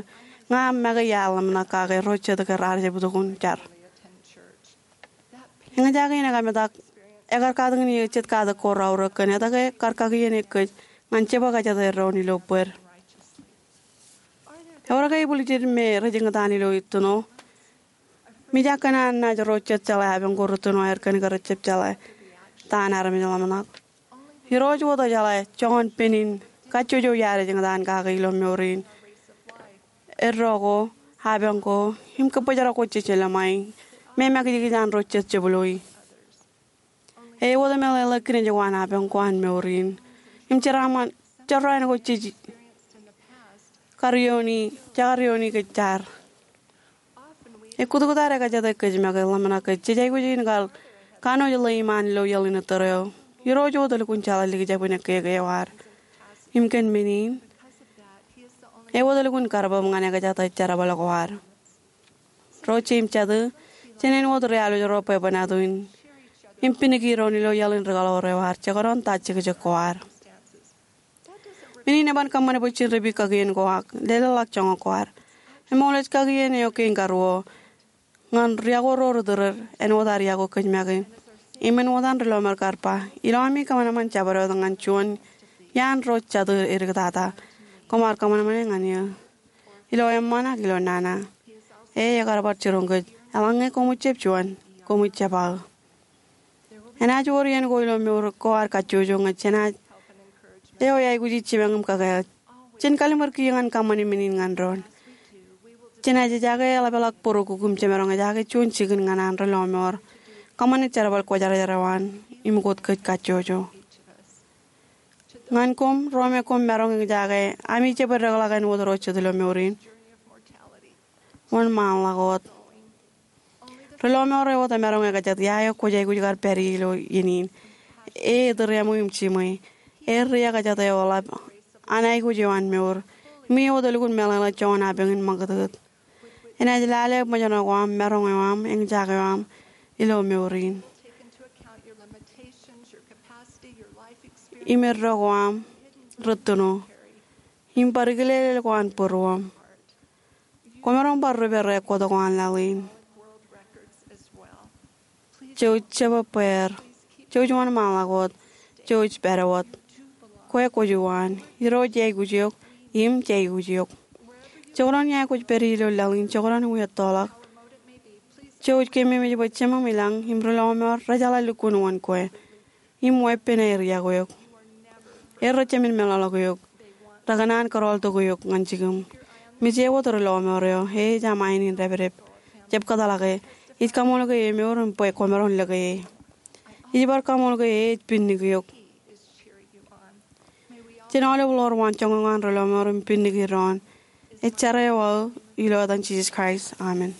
ña make iar ḷōmṇak kake ro jet ke raar jab itok in jar. Eñjake in ekametak, ekar katakin eō jet katak ko raorōk kōn etke kar kakien eō kōj ñan jebwe kajjitōk doon ilo bōd. Ewōr ke ibwiljid me rej eñtaan ilo ittino? Mijak kōn an naaj ro jet jeḷā apañ ko rūttoon aer kōn ke rejjab jeḷā ta an armej ḷōmṇak. Irooj wōt ejeḷā joñan pen in kajjojo iaad ej eñtaan kake ilo mour in. Eddo ko, apañ ko, im kōbōjrak ko jej lōṃa e, me makijkij an ro jet jepḷooi. Ewōr meḷeḷe kinej ko an apañ ko an mour in. Im jeraaṃṃan, jeraaṃṃan ko jej karioni, jekarioni kōj jar. Ekkutkut ad ekajete kōj make ḷōmṇak ke jej aikuj in kar kanooj ḷeim an ilo iaḷ in ettōr eo. Irooj wōt elukkuun jeḷā likjab in ekkeke eo ad. Im kōn men in, ewōr elukkuun karbōb ñan ekajete jerbal ko ad. Ro jeiū im jatū, jān āinwōt ri alwōj ro bwebwenato in, im piniki doon ilo iaḷ in ri kaḷoor eo ad, jekdọọn ta jekjek ko ad. Men in eban kōṃṃan bwe jen ripi kakien ko ak lelōḷḷọk joñak ko ad. Eṃool ej kakien eo kein karuo ñan riọkwe ro ri tūrūd āinwōt ad iọkwe kōj make. Im āinwōt an ri lọmọọr kar ba, ilo ami kōṃanṃan jabdewōt ñan juon iaan ro jatū edik tata, koṃ ar kōṃanṃane ñan eō ilo eṃṃan ak ilo nana. E ekar bar jiroñ kōj, eḷaññe koṃij jab juon, koṃij jab aō. Enaaj wōr iien ko ilo mour ko ad kajjojo ñe jenaaj eo eaikuji jipañ im kōkāāl. Jen kalliṃur kiiō ñan kōṃṃani men in ñan doon. Jenaaj ejaake eḷapḷọk būrukkuk im jemaroñ ejaake juon jikin ñan an ri-lọmọọr kōṃṃane jerbal kwōjarjar eo an im kōj kajjojo. Ñan koṃ ro me koṃ maroñ ejaake ami jab edekḷọk āinwōt ro jet ilo mour in, wōn ṃaanḷọk wōt? Ri-lọmọọr eo wōt emaroñ ekajjitōk ia eo kwōj aikuj kar pād ie ilo iien in. E etūriaṃwe im jiṃwe. E ri-ekajjitōk eo eḷap an aikuj eo an mour im e wōt elukkuun meḷeḷe joñan apañ in ṃakūtkūt. Enaaj lale ṃōjṇọ ko am, maroñ eo am, eñjake eo am ilo mour in im eddo ko am, rūttoṇo im bar kilelel ko an būruōṃ. Kwōmaroñ bar rupe record ko an laḷ in. Jouj jebōb bweer. Jouj wōnṃaanḷọk wōt. Jouj pād wōt. Kwe kwōj uwaan. Irooj eaikuj eok im jeaikuj eok. Jekdọọn ia kwōj pād ie ilo laḷ in, jekdọọn iwiettoḷọk, jouj kememej bwe Jemem ilañ im ri-lọmọọr rejeḷā lukkuun wōn kwe im weeppān aer iọkwe eok. Er rej jemān meḷọkḷọk eok. Rekōṇaan kōrọọltok eok ñan jikiṃ. Mej e wōt ri-lọmọọr eo, e ej aṃ ain in dāpdep. Jab kōtḷọk e. Ij kaṃool ke emour im bwe kwōmaroñ lōke e. Ij bar kaṃool ke e ej pinnik eok. Jen aolep ḷoor waan joñoul ñan ri-lọmọọr im pinniki doon. Ej jar eo aō ilo etan Jisōs Kraist, amen.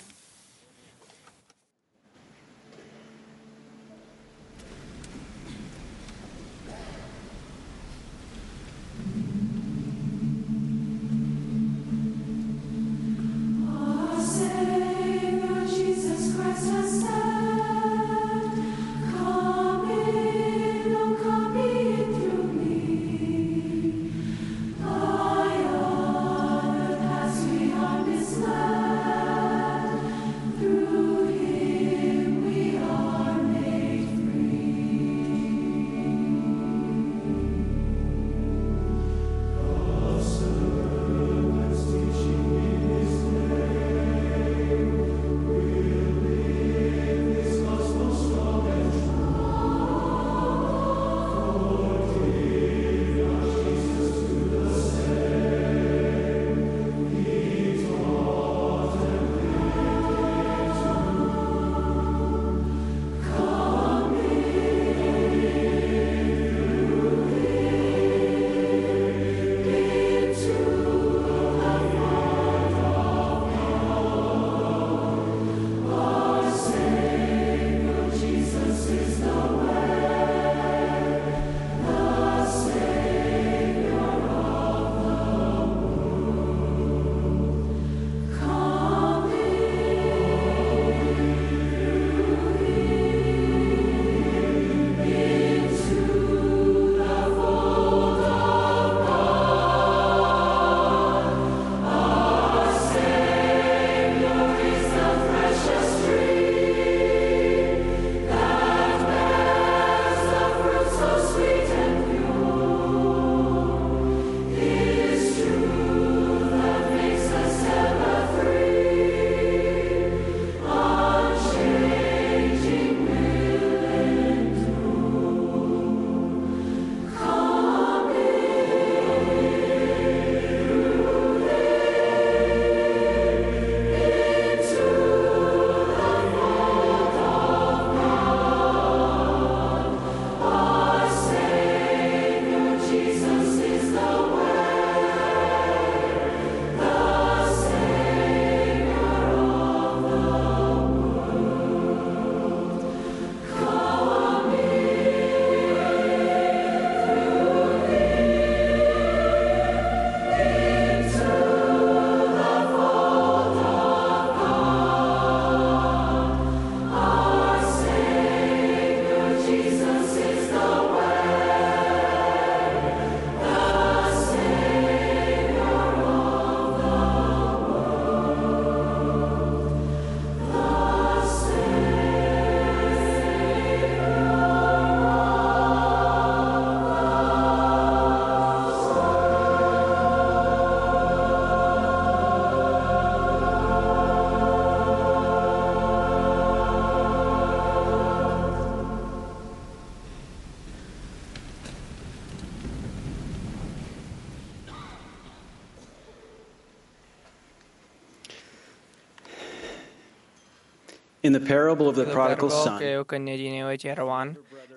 In the parable of the prodigal son, eo kōn nejin eo ejerwaan,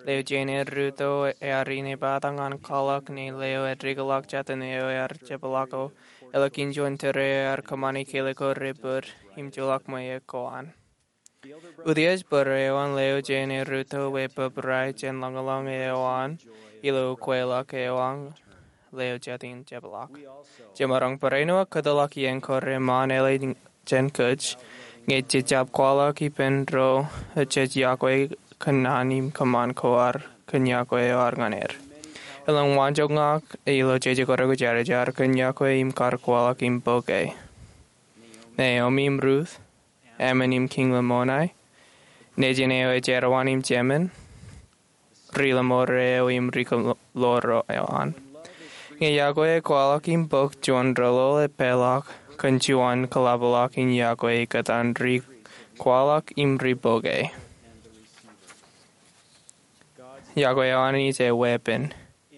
leo jein ear ruto ear inepata ñan kwaḷọk, ñe leo edikḷọk jātin eo ear jepḷaak, elōñ juon tōre eo ear kōṃṃani kile ko rej bōd im juḷọk ṃweo ko an. Utiej bōd eo an, leo jein ear ruto bwe bōbrae jān ḷōñḷōñ eo an ilo ukweḷọk eo an leo jān jepḷaak. Jemaroñ barāinwōt kōtḷọk iien ko reṃṃan ālikin kōj, ñe jej jab kwaḷọk ippān ro jej yokwe kōn naan im kōṃṃan ko ad kōn yokwe eo ad ñan er. Elōñ waanjoñak ilo jeje ko rekuj jar jar kōn yokwe im kar kwaḷọk im bok e. Naomi im Ruth, Ammon im Kiiñ Lamoni, nejin eo ejerwaan im jemān, ri Lamoni eo im ri Lamoni eo an. Ñe yokwe ekwaḷọk im bok, juon doḷoḷ epeḷḷọk kōn juon kōḷapḷọk in yokwe ikōtaan ri kwaḷọk im ri bok e. Yokwe eo an ej weeppān,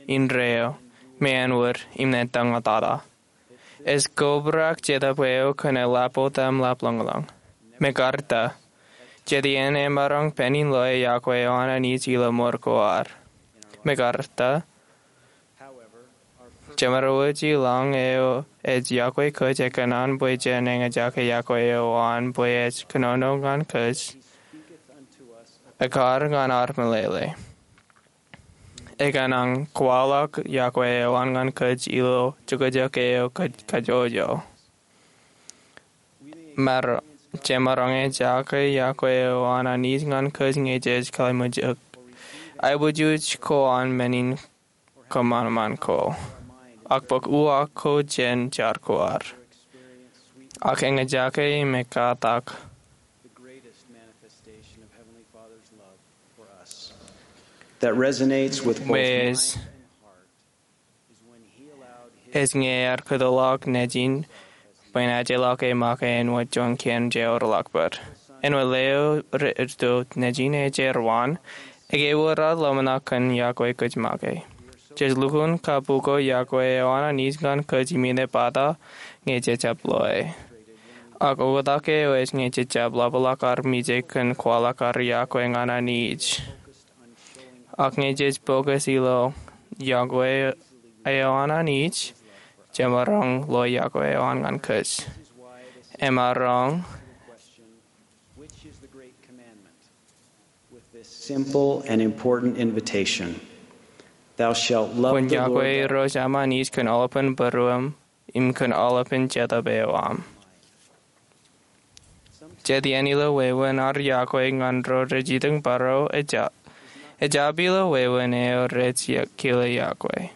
indeeo, im āinwōt, im ej tōñatata. Ej kobrak Jetōb eo kōn eḷap otem ḷap ḷōñḷōñ. Mekarta, jet iien emaroñ pād in loe yokwe eo an Anij ilo mour ko ad. Mekarta, jemaroñ wōj ilañ eo ej yokwe kōj ekōṇaan bwe jen eñjake yokwe eo an bwe ej kōnono ñan kōj, ekkar ñan ad meḷeḷe. Ekōṇaan kwaḷọk yokwe eo an ñan kōj ilo jokjok eo kōj kajjojo. Mar, jemaroñ eñjake yokwe eo an Anij ñan kōj ñe jej kaliṃujok aiboojoj ko an men in kōṃanṃan ko, ak bōk uwaak ko jān jar ko ad, ak eñjake im ekkatak. That resonates with both mine and heart is when he allowed his ej ñe ear kōtḷọk nejin bwe en ajeḷọk e make āinwōt juon kien jeorḷọk bōd. Āinwōt leo rej ruto nejin ejerwaan, ekwe ewōr ad ḷōmṇak kōn yokwe kōj make. Jej lukkuun kabuko yokwe eo an Anij ñan kōj im inepata ñe jej jab loe. Ak oktak eo ej ñe jej jab ḷapḷọk armej kōn kwaḷọk ad yokwe ñan Anij. Ak ñe jej focus ilo yokwe eo an Anij, jemaroñ lo yokwe eo an ñan kōj. Emaroñ Which is the great commandment? With this simple and important invitation, "Thou shalt love the Lord thy God." Kwōn yokwe Irooj aṃ Anij kōn aolepān būruōṃ, im kōn aolepān jetōb eo aṃ. Jet iien ilo wāween ad yokwe ñan ro rej itōn bōro ejjab, ejjab ilo wāween eo rej kile yokwe.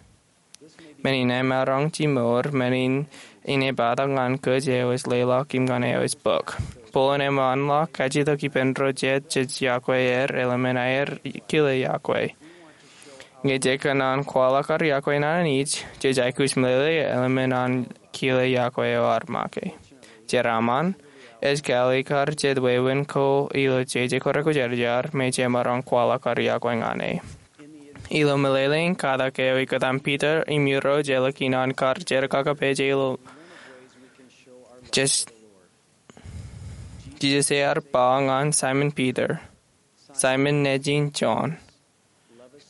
Men in emaroñ jimour, men in inepata ñan kōj eo ej leḷọk im ñan eo ej bōk. Bōlen eṃṃanḷọk kajjitōk ippān ro jet jej yokwe er, elōmen aer kile yokwe. Ñe jej kōṇaan kwaḷọk ad yokwe ñan Anij, jej aikuj meḷeḷe elōmen an kile yokwe eo ad make. Jeraaṃṃan, ej kalikkar jet wāween ko ilo jeje ko rekuj jar jar, me jemaroñ kwaḷọk ad yokwe ñan e. Ilo meḷeḷein katak eo ikōtaan Piter im Irooj ālikin an kar jerkakpeje ilo Jisōs, Jisōs ear ba ñan Saimōn Piter, Saimōn nejin Jon,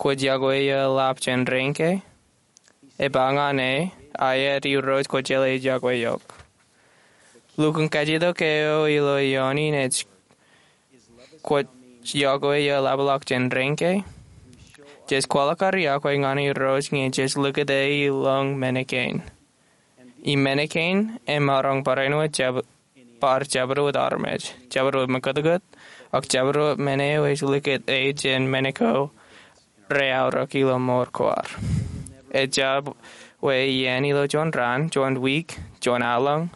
kwōj yokwe ioḷap jān rein ke? Eba ñan e, aet Irooj, kwōjeḷā ij yokwe eok. Lukkuun kajjitōk eo ilo ioon in ej, kwōj yokwe ioḷapḷọk jān rein ke? Jej kwaḷọk ad yokwe ñan Irooj ñe jej likūt e ilọñ men kein. Im men kein emaroñ barāinwōt jab-, bar jabdewōt armej, jabdewōt mekkōtkōt, ak jabdewōt men eo ej likūt e jān men ko reaorōk ilo mour ko ad. Ejjab wōt iien ilo juon raan, juon wiik, juon aolōñ,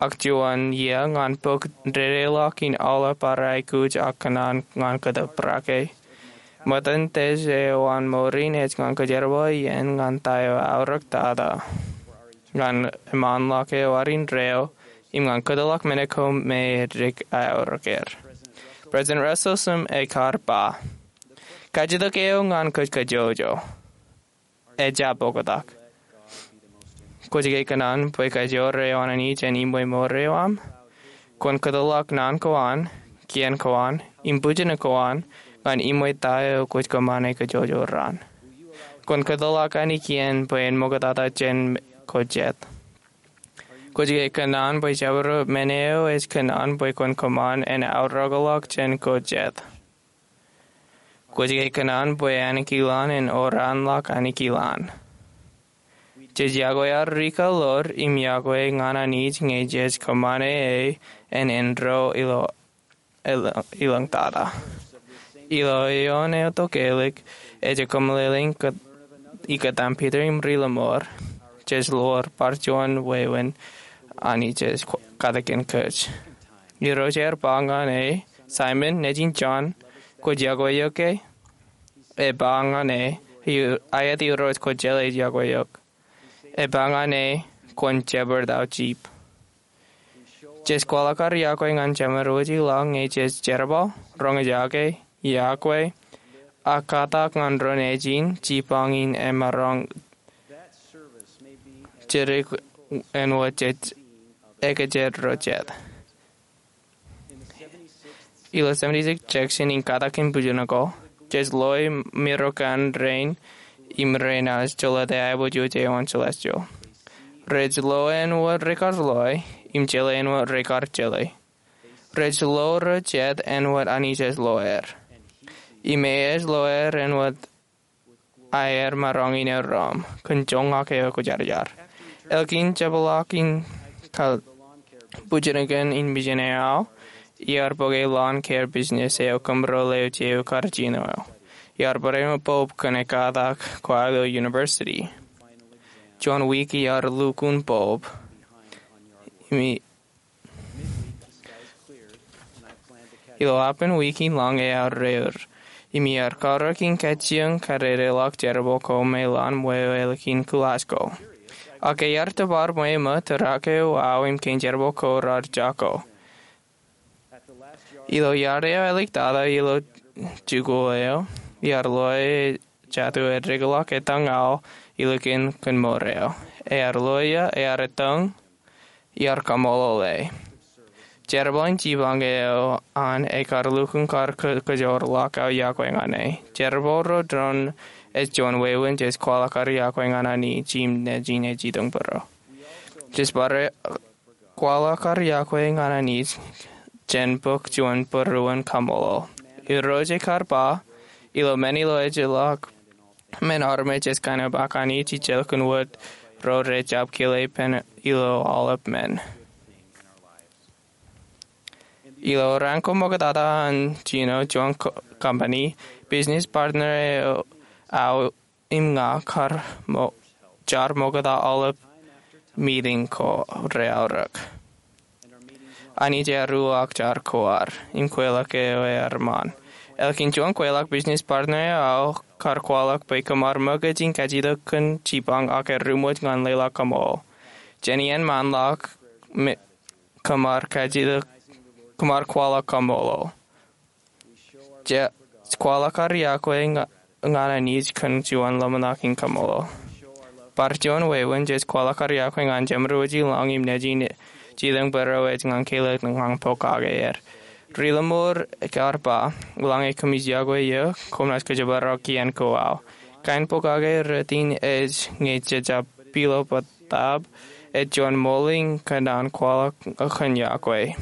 ak juon iiō ñan bōk dedeḷọk in aolep ad aikuj ak kōṇaan ñan kōtōprak e. Ṃōttan Dec eo an mour in ej ñan kōjerbal iien ñan ta eo aorōk tata, ñan eṃṃanḷọk eo ad indeeo, im ñan kōtḷọk men ko me edik aorōk er. President Russell M. Nelson ekar ba, kajjitōk eo ñan kōj kajjojo ejjab oktak. Kwōj ke kōṇaan bwe kajoor eo an Anij en iṃwe mour eo aṃ? Kwōn kōtḷọk naan ko an, kien ko an im bujin ko an ñan ṃweo ta eo kwōj kōṃṃane kōjwōj raan. Kwōn kōtḷọk anij kien bwe en ṃoktata jān ko jet. Kwōj ke kōṇaan bwe jabdewōt men eo ej kōṇaan bwe kwōn kōṃṃan en aorōkḷọk jān ko jet? Kwōj ke kōṇaan bwe ānekilaan en oraanḷọk ānekilaan? Jej yokwe ad rikaḷoor im yokwe ñan Anij ñe jej kōṃṃane e en enro ilo ilo- ilōñtata. Ilo eoon eo tokālik ej kōmeḷeḷein ikōtaan Piter im ri-lọmọọr, jej lo bar juon wāween Anij ej katakin kōj. Irooj ear ba ñan e, Saimōn, nejin Jon, kwōj yokwe eok ke? E ba ñan e, Aet Irooj, kwōjeḷā ij yokwe eok. E ba ñan e, Kwōn jebar aō jip. Jej kwaḷọk ad yokwe ñan Jemedwōj ilañ ñe jej jerbal, roñjake, yokwe, ak katak ñan ro nejin jipañ in emaroñ jidik āinwōt jej ekōjjot ro jet. Ilo seventy-six section in Katakin Bujinako, jej loe mirokan rein im renaaj jolōte aiboojoj eo an celestial. Rej lo āinwōt rekar loe im jeḷā āinwōt rekar jeḷā. Rej lo ro jet āinwōt Anij ej lo er. Im e ej lo er āinwōt aer maroñ in erom kōn joñak eo kwōjarjar. Ālikin jepḷaak in kab bujinōk in mijin eo aō, iar bōke lawn care business eo kōmro leo jeiū kar jino eo. Iar bōd āinwōt bulb kōn e katak ko aō ilo university. Juon wiik iar lukkuun bulb. Im ilo aolepān wiik in lañ ear reor, im iar karōk in kajjioñ kadedeḷọk jerbal ko me lowaan ṃweo ālikin kuḷaaj ko. Ak ear tōpar ṃweo ṃōk tōrak eo aō im kein jerbal ko raar jako. Ilo iar eo āliktata ilo jikuuḷ eo, iar loe jatū eo ej dikḷọk etañ aō ilikin kōn mour eo. Ear loe ia, ear etañ, iar kaṃṃoolol e. Jerbal in jipañ eo an ekar lukkuun kar kōjorḷọk aō yokwe ñan e. Jerbal ro doon ej juon wāween jej kwaḷọk ad yokwe ñan Anij im nejin ej jitōñbōro. Jej bar kwaḷọk ad yokwe ñan Anij jān bōk juon būruon kaṃṃoolol. Irooj ekar ba, ilo men ilo ejjeḷọk men armej ej kaenōṃṃan Anij ij jelkin wōt ro rej jab kile ippān ilo aolep men. Ilo raan ko ṃoktata an jino juon company, business partner eo aō im ña kar ṃokta aolep meeting ko reaorōk. Anij ear uwaak jar ko ad im kweilọk eo ear ṃaan. Ālikin juon kweilọk, business partner eo aō kar kwaḷọk bwe kōmar ṃōkaj in kajjitōk kōn jipañ ak eruṃwōj ñan leḷọk kaṃṃoolol. Jān iien ṃaanḷọk kōmar kwaḷọk kaṃṃoolol. Jej kwaḷọk ad yokwe ñan Anij kōn juon ḷōmṇak in kaṃṃoolol. Bar juon wāween jej kwaḷọk ad yokwe ñan Jemedwōj ilañ im nejin ej jitōñbōro ej ñan kālōt ñan pokake er. Ri-lọmọọr ekar ba, eḷaññe koṃij yokwe eō, koṃ naaj kōjparok kien ko aō. Kain pokake rot in ej ñe jej jab pilo bōtab ej juon ṃool in kōṇaan kwaḷọk kōn yokwe.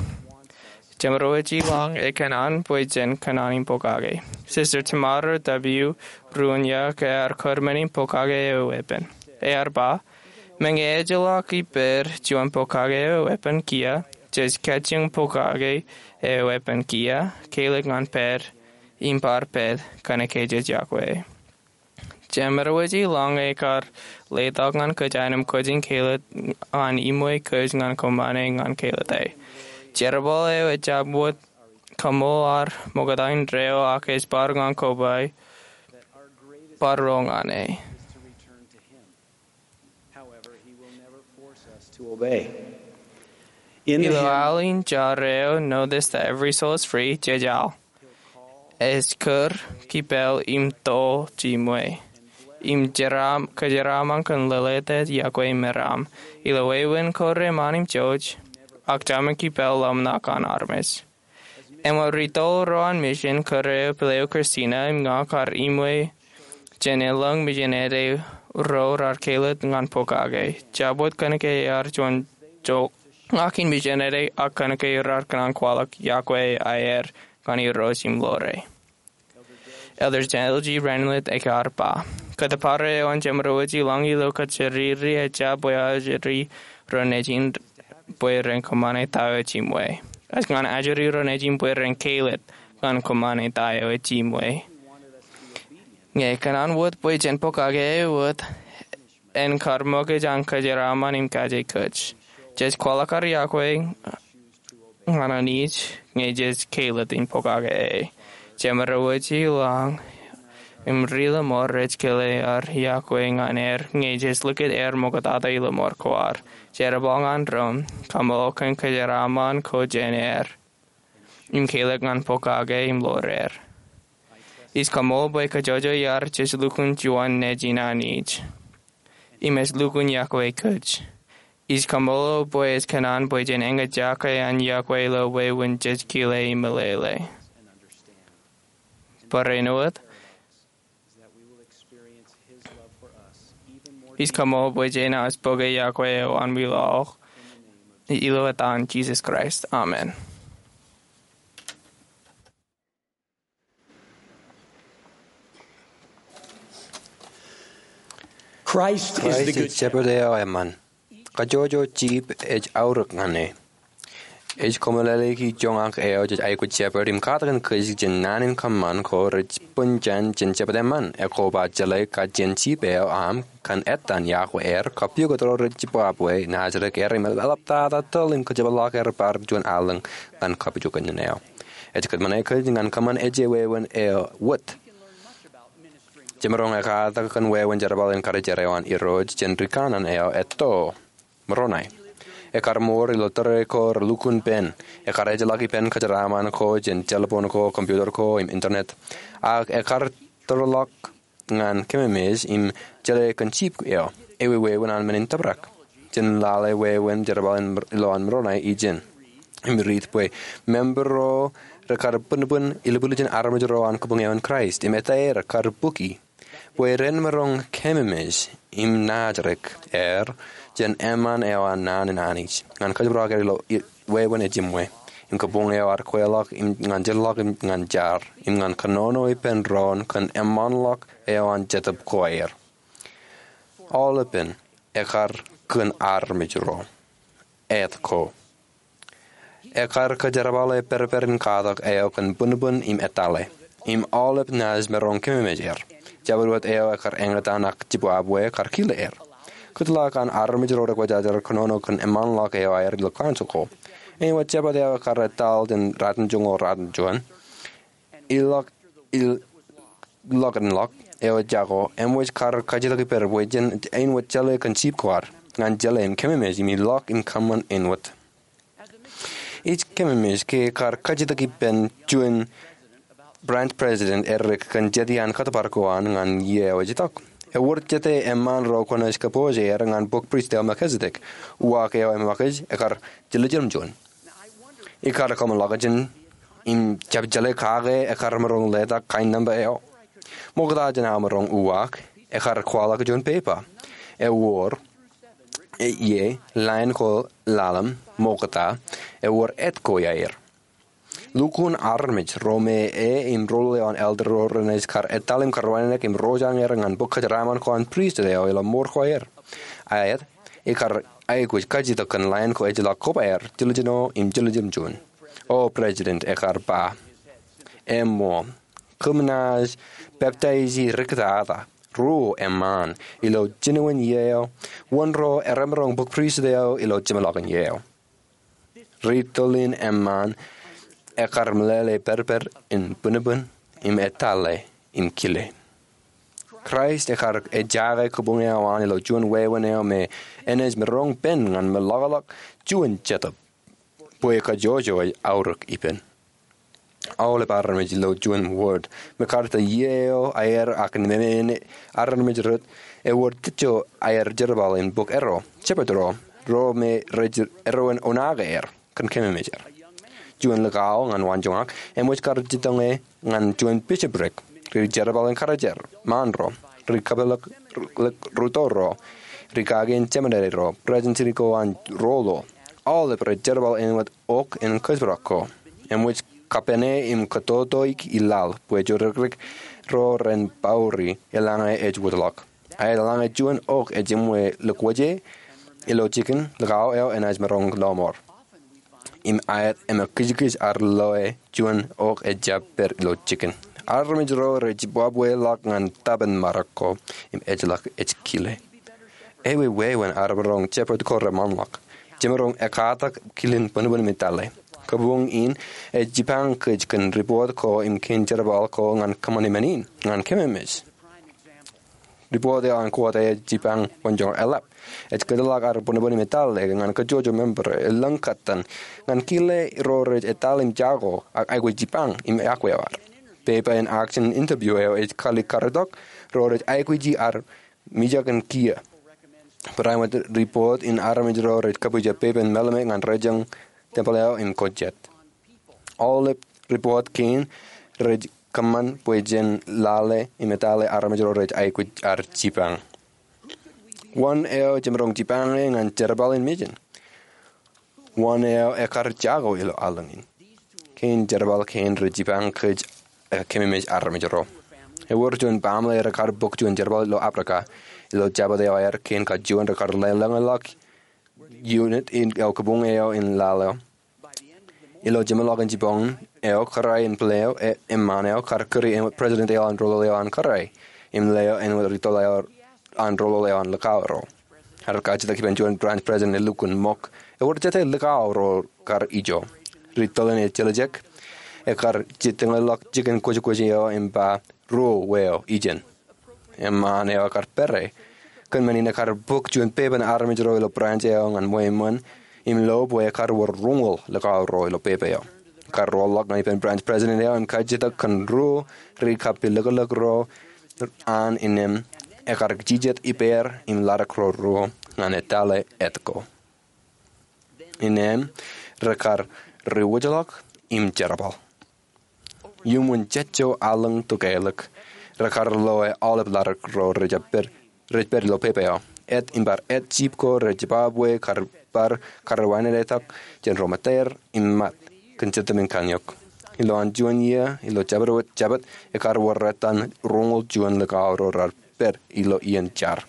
Jemedwōj ilañ ekōṇaan bwe jen kōṇaan in pokake. Sister Tamara W. Rooniuk ear kōrmen in pokake eo eweeppān. Ear ba, meñe ejjeḷọk ippād juon pokake eo eweeppān kiiō, jej kajjioñ pokake eo eweeppān kiiō, kālōt ñan pād, im bar pād, kōnke jej yokwe. Jemedwōj ilañ ekar letok ñan kōj aenōṃ kōj in kālōt ñan iṃwe kōj ñan kōṃṃane ñan kālōte. Jerbal eo ejjab wōt kaṃṃoolol ad ṃokta indeeo ak ej bar ñan koba bar ro ñan e. Ilo al in jar eo, Know This, That Every Soul Is Free, jej al, ej kūr, kipel im to jiṃwe, im kōjeraaṃṃan kōn lōḷōtet yokwe meram, ilo wāween ko reṃṃan im jouj, ak jaṃin kipel ḷōmṇak an armej. Āinwōt ri-toḷ ro an mission kōrā eo, Pele eo Christina im ña kar iṃwe jān elōñ mission eo ro rar kelōt ñan pokake. Jabdewōt kōnke ear juon joñak in mission eo, ak kōnke rar kōṇaan kwaḷọk yokwe aer ñan Irooj im ḷoore. Elder Daniel G. Renlet ekar ba, kōttōpar eo an jemān ri-wōj ilañ ilo kōjatdikdik ejja bwe ajri ro nejin bwe ren kōṃṃane ta eo ejiṃwe. Ej ñan ajri ro nejin bwe ren kelōt ñan kōṃṃane ta eo ejiṃwe. Ñe kōṇaan wōt bwe jen pokake wōt, en kar ṃōkaj an kōjeraaṃṃan im kaje kōj. Jej kwaḷọk ad yokwe ñan Anij ñe jej kelōt in pokake e. Jemān ri-wōj ilañ im ri lọmọọr rej kile ad yokwe ñan er ñe jej likūt er ṃoktata ilo mour ko ad. Jerbal ñan ro im kaṃṃoolol kōn kōjeraaṃṃan ko jān er im kelōt ñan pokake im ḷoor er. Ij kaṃṃoolol bwe kōjojoi ad jej lukkuun juon nejin Anij im ej lukkuun yokwe kōj. Ij kaṃṃoolol bwe ej kōṇaan bwe jen eñjake an yokwe ilo wāween jej kile im meḷeḷe. Barāinwōt, ij kaṃṃoolol bwe jenaaj bōke yokwe eo an wilaḷ, ilo etan Jisōs Kraist, amen. Christ is the Kraist ej good shepherd eo eṃṃan. Kajjojo jip ej aorōk ñan e. Ej kōmeḷeḷeiki joñak eo jej aikuj shepherd im katakin kōj jān naan in kōṃṃan ko rej bōn jān jān shepherd eṃṃan. Ekoba jeḷā kajjien jip eo aṃ kōn ettan yokwe er, kapukot ro rej jibwabwe, naajrōk er im eḷaptata tōl im kōjepḷaak er bar juon allōñ ñan kapijuknen eo. Ej kōtmāne kōj ñan kōṃṃan ej wāween eo wōt. Jemaroñ ekkatak kōn wāween jerbal in karijeraṃṃan eo an Irooj jān rikanaan eo etto, Moroni. Ekar mour ilo tōre ko relukkuun ippān. Ekar ejjeḷọk ippān kōjeraaṃṃan ko jān telephone ko, computer ko, im internet. Ak ekar tōrḷọk ñan kememej im jeḷā kōn jip eo. Ewi wāween an men in tōprak? Jen lale wāween jerbal in ilo an Moroni ijin im riit bwe member ro rekar bōnbōn ilbuljin armej ro an kabuñ eo an Kraist im etaer kar bukwi bwe ren maroñ kememej im naajrōk er jān eṃṃan eo an naan in Anij ñan kōjparok er ilo wāween ejiṃwe im kabuñ eo ad kweilọk im ñan jeorḷọk im ñan jar im ñan kōnono ippān doon kōn eṃṃanḷọk eo an Jetōb ko aer. Aolepān ekar kōn armej ro. Āt ko. Ekar kōjerbale pād pād in katak eo kōn bōnbōn im etale. Im aolep naaj maroñ kememej er. Jabdewōt eo ekar eñtaan ak jibwabwe kar kile er. Kōtḷọk an armej ro rekwōjjājar kōnono kōn eṃṃanḷọk eo aer ilo council ko. Āinwōt shepherd eo ekar etal jān ratimjuon ḷọk ratimjuon, ilọk, ilọkinḷọk eo ejako, eṃōj kar kajjitōk ippād bwe jen āinwōt jeḷā kōn jip ko ad, ñan jeḷā im kememej im ilọk im kōṃṃan āinwōt. Ij kememej ke kar kajjitōk ippān juon branch president edik kōn jete an kōttōpar ko an ñan iiō eo ej itok. Ewōr jete eṃṃaan ro kwōnaaj kōpooj er ñan bok pristut eo Melkisedek. Uwaak eo eṃōkaj ekar jiljilimjuon. Ikar kōmḷọkjeṇ im jab jeḷā kake ekar maroñ letak kain nōṃba eo. Ṃokta jān aō maroñ uwaak, ekar kwaḷọk juon pepa. Ewōr, e, ie, lain ko ḷalem, ṃokta, ewōr āt ko iaer. Lukkuun armej ro me e im rool eo an elder ro renaaj kar etal im kar wānōk im rojañ er ñan bok kōjeraaṃṃan ko an pristut eo ilo mour ko aer. Aet, ikar aikuj kajjitōk kōn lain ko ejjeḷọk kobaer, jiljino im jiljilimjuon. O president ekar ba, eṃṃan, kōm naaj peptaiji riktata, ruo eṃṃaan, ilo jinoin iiō eo, wōn ro eremaroñ bok pristut eo ilo jeṃḷọkin iiō eo. Ri tōl in eṃṃaan ekar meḷeḷe pād pād in bōnbōn im etale im kile. Kraist ekar ejaake kabuñ eo an ilo juon wāween eo me enaaj maroñ pen ñan meḷọkḷọk juon jetōb bwe kajjojo ej aorōk ippān. Aolep armej ilo juon ward, MacArthur iiō eo aer ak nemān armej rot, ewōr tijjo aer jerbal in bok erro, shepherd ro, ro me rej erro en oṇaake er kōn kememej er. juon likao ñan waanjoñak, eṃōj kar jitōñe ñan juon bishopric, ri jerbal in karijer ṃaan ro, ri kapilōk ḷọk ruto ro, ri kake in jemenere ro, president city ko an Rolo, aolep rej jerbal āinwōt ok in kōjparok ko. Eṃōj kapene im kōtotoik i laḷ bwe jodikdik ro ren bauri eḷaññe ej wōtlọk. Aet eḷaññe juon ok ej eṃṃan ḷọk wōje ilo jikin, likao eo enaaj maroñ lọmọọr im aet im ekkijkij ad loe juon ok ejjab pād ilo jikin. Armej ro rej jibwabweḷọk ñan tōpar in ṃōrōk ko im ejjeḷọk ej kile. Eweween ad maroñ jepet ko reṃanḷọk, jemaroñ ekkatak kilin bōnbōn im etale. Kabuñ in ej jipañ kōj kōn ripoot ko im kein jerbal ko ñan kōṃṃane men in ñan kememej. Ripoot eo an kōtḷọk ej jipañ wōnjoñak eḷap. Ej kōtḷọk ad bōnbōn im etale ñan kajjojo member, elōñ kōttan, ñan kile ro rej etale im jako ak aikuj jipañ im iọkwe ad. Pepa in action interview eo ej kali karitok ro rej aikuji ad mijak in kiiō. Barāinwōt ripoot in armej ro rej kapija pepa in mālōmōj ñan rōjañ tempel eo im kōjjāt. Aolep ripoot kein rej kōṃṃan bwe jen lale im etale armej ro rej aikuj ad jipañ. Wōn eo jemaroñ jipañe ñan jerbal in mejān? Wōn eo ekar jako ilo allōñ in? Kein jerbal kein rej jipañ kōj, kememej armej ro. Ewōr juon baaṃle rekar bōk juon jerbal ilo Aprika. Ilo jabōt eo aer, kein kajuon rekar lōñḷọk unit in eo kabuñ eo in laḷ eo. Ilo jeṃḷọkin jibboñ eo, kōrā in pile eo, eṃṃaan eo kar kūri eṃṃan president eo an Rolo eo an kōrā im leo āinwōt ri tōl eo an Rolo eo an likao ro. Ad kajjitōk ippān juon branch president elukkuun ṃok, ewōr jete likao ro kar ijo. Ri tōl in ejjeḷọk, ekar jitōñḷọk jikin kwōjkwōj eo im ba, ruo weo ijin. Eṃṃaan eo ekar pere. Kōn men in ekar bōk juon pepa in armej ro ilo branch eo ñan ṃweo eṃṃan im lo bwe ekar wōr roñoul likao ro ilo pepa eo. Ekar roḷọk ñan ippān branch president eo im kajjitōk kōn ruo ri kapilōklōk ro an, innām ekar jijet ippāer im ḷaddik ro ruo ñan etale et ko. Innām rekar riwōjḷọk im jerbal. Iuṃwin jejjo allōñ tokālik, rekar loe aolep ḷaddik ro rej pād, rej pād ilo pepa eo. Et im bar et jip ko rej jibabwe kar bar karreowaindetak jān ro mataer im mat kōn Jetōb in Kanniōk. Ilowaan juon iiō, ilo jabdewōt Jabōt, ekar wōr etan roñoul juon likao ro rar pād ilo iien jar.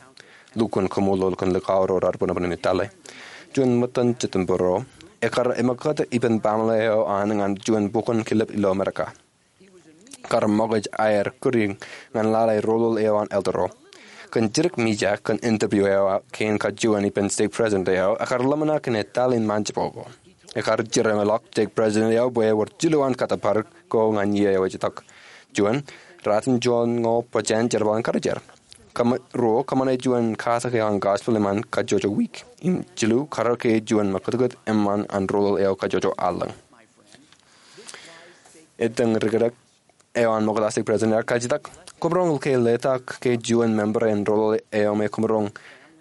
Lukkuun kaṃṃoolol kōn likao ro rar bōnbōn im etale. Juon ṃōttan Jitōnbōro, ekar eṃōkūt ippān baaṃle eo an ñan juon bukwōn kilep ilo Amerika. Kar ṃōkaj aer kūr ñan lale roḷoḷ eo an elder ro. Kōn jidik mijak kōn interview eo, kein kajuon ippān stake president eo ekar ḷōmṇak in etale in ṃaanjebo ko. Ekar jeraṃḷọk stake president eo bwe ewōr jilu an kōttōpar ko ñan iiō eo ej itok. Juon, ratimjuon ñoul bōjāān jerbal in karijer. Kōṃ-, ruo, kōṃṃane juon katak eo an gospel eṃṃan kajjojo wiik. Im jilu, kar ke juon ṃakūtkūt eṃṃan an roḷoḷ eo kajjojo allōñ. Ettōñ ri kōtōk eo an ṃokta stake president ear kajjitōk, koṃ roñ ke letak ke juon member in roḷoḷ eo me koṃ roñ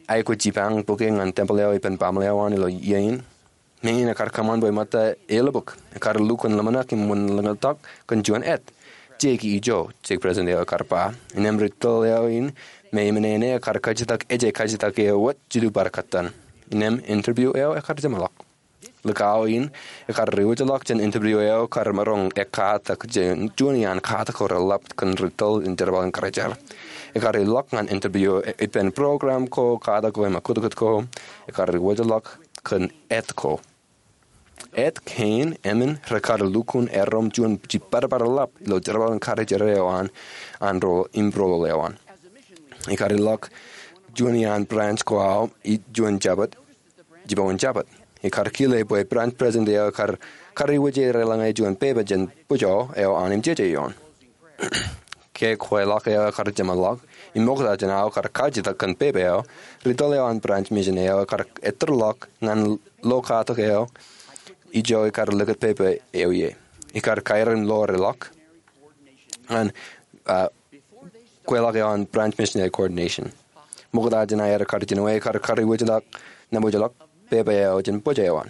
aikuj jipañ bōke ñan tempel eo ippān baaṃle eo an ilo iiō in? Meñe in ekar kōṃṃan bwe ṃōtta elōbōk, ekar lukkuun ḷōmṇak im wūnin ḷōñtak kōn juon et. Jeiki ijo, stake president eo ekar ba. Innām ri tōl eo in me eṃṃan eo ekar kajjitōk ej kajjitōk eo wōt jilu bar kōttan. Innām interview eo ekar jeṃḷọk. Likao in ekar riwōjḷọk jān interview eo kar maroñ ekkatak jān juon iaan katak ko reḷap kōn ri tōl in jerbal in karijer. Ekar ilọk ñan interview ippān program ko, katak ko im ṃakūtkūt ko. Ekar riwōjḷọk kōn et ko. Et kein eṃṃan rekar lukkuun erom juon jibadbadḷap ilo jerbal in karijer eo an, an ro im roḷoḷ eo an. Ekar ilọk juon iaan branch ko aō ilo juon Jabōt, jibboñin Jabōt. Ekar kile bwe branch president eo ekar, kar iwōj er eḷaññe juon pepa jān bōjro eo an im jeje ioon. Ke kweilọk eo ekar jeṃḷọk, im ṃokta jān aō kar kajjitōk kōn pepa eo, ri tōl eo an branch mission eo ekar ettōrḷọk ñan lo katak eo ijo ekar likūt pepa eo ie. Ekar kairin lo reḷọk ñan, ah, kweilọk eo an branch missionary coordination. Ṃokta jān aer kar jinoe, ekar kariwōjḷọk, nabōjḷọk pepa eo jān bōjro eo an.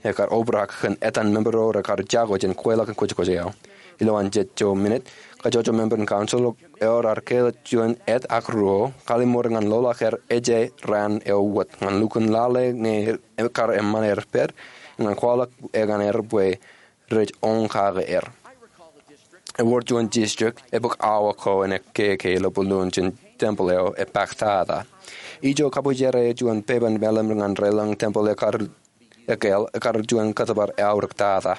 Ekar obrak kōn etan member ro rekar jako jān kweilọk in kwōjkwōj eo. Ilowaan jet ijo minit, kajjojo member in council eo raar kāālōt juon et ak ruo, kallim̧ur ñan loḷọk er ej raan eo wōt ñan lukkuun lale ñe ekar eṃṃan er pād, ñan kwaḷọk eñin er bwe rej oñ kake er. Ewōr juon district ebōk awa ko en ekkeke ilo bōlōn jān temple eo epaktata. Ijo kabwijere juon pepen meḷeṃ ñan relōñ temple ekar ekāāl, ekar juon kōttōpar eaorōktata.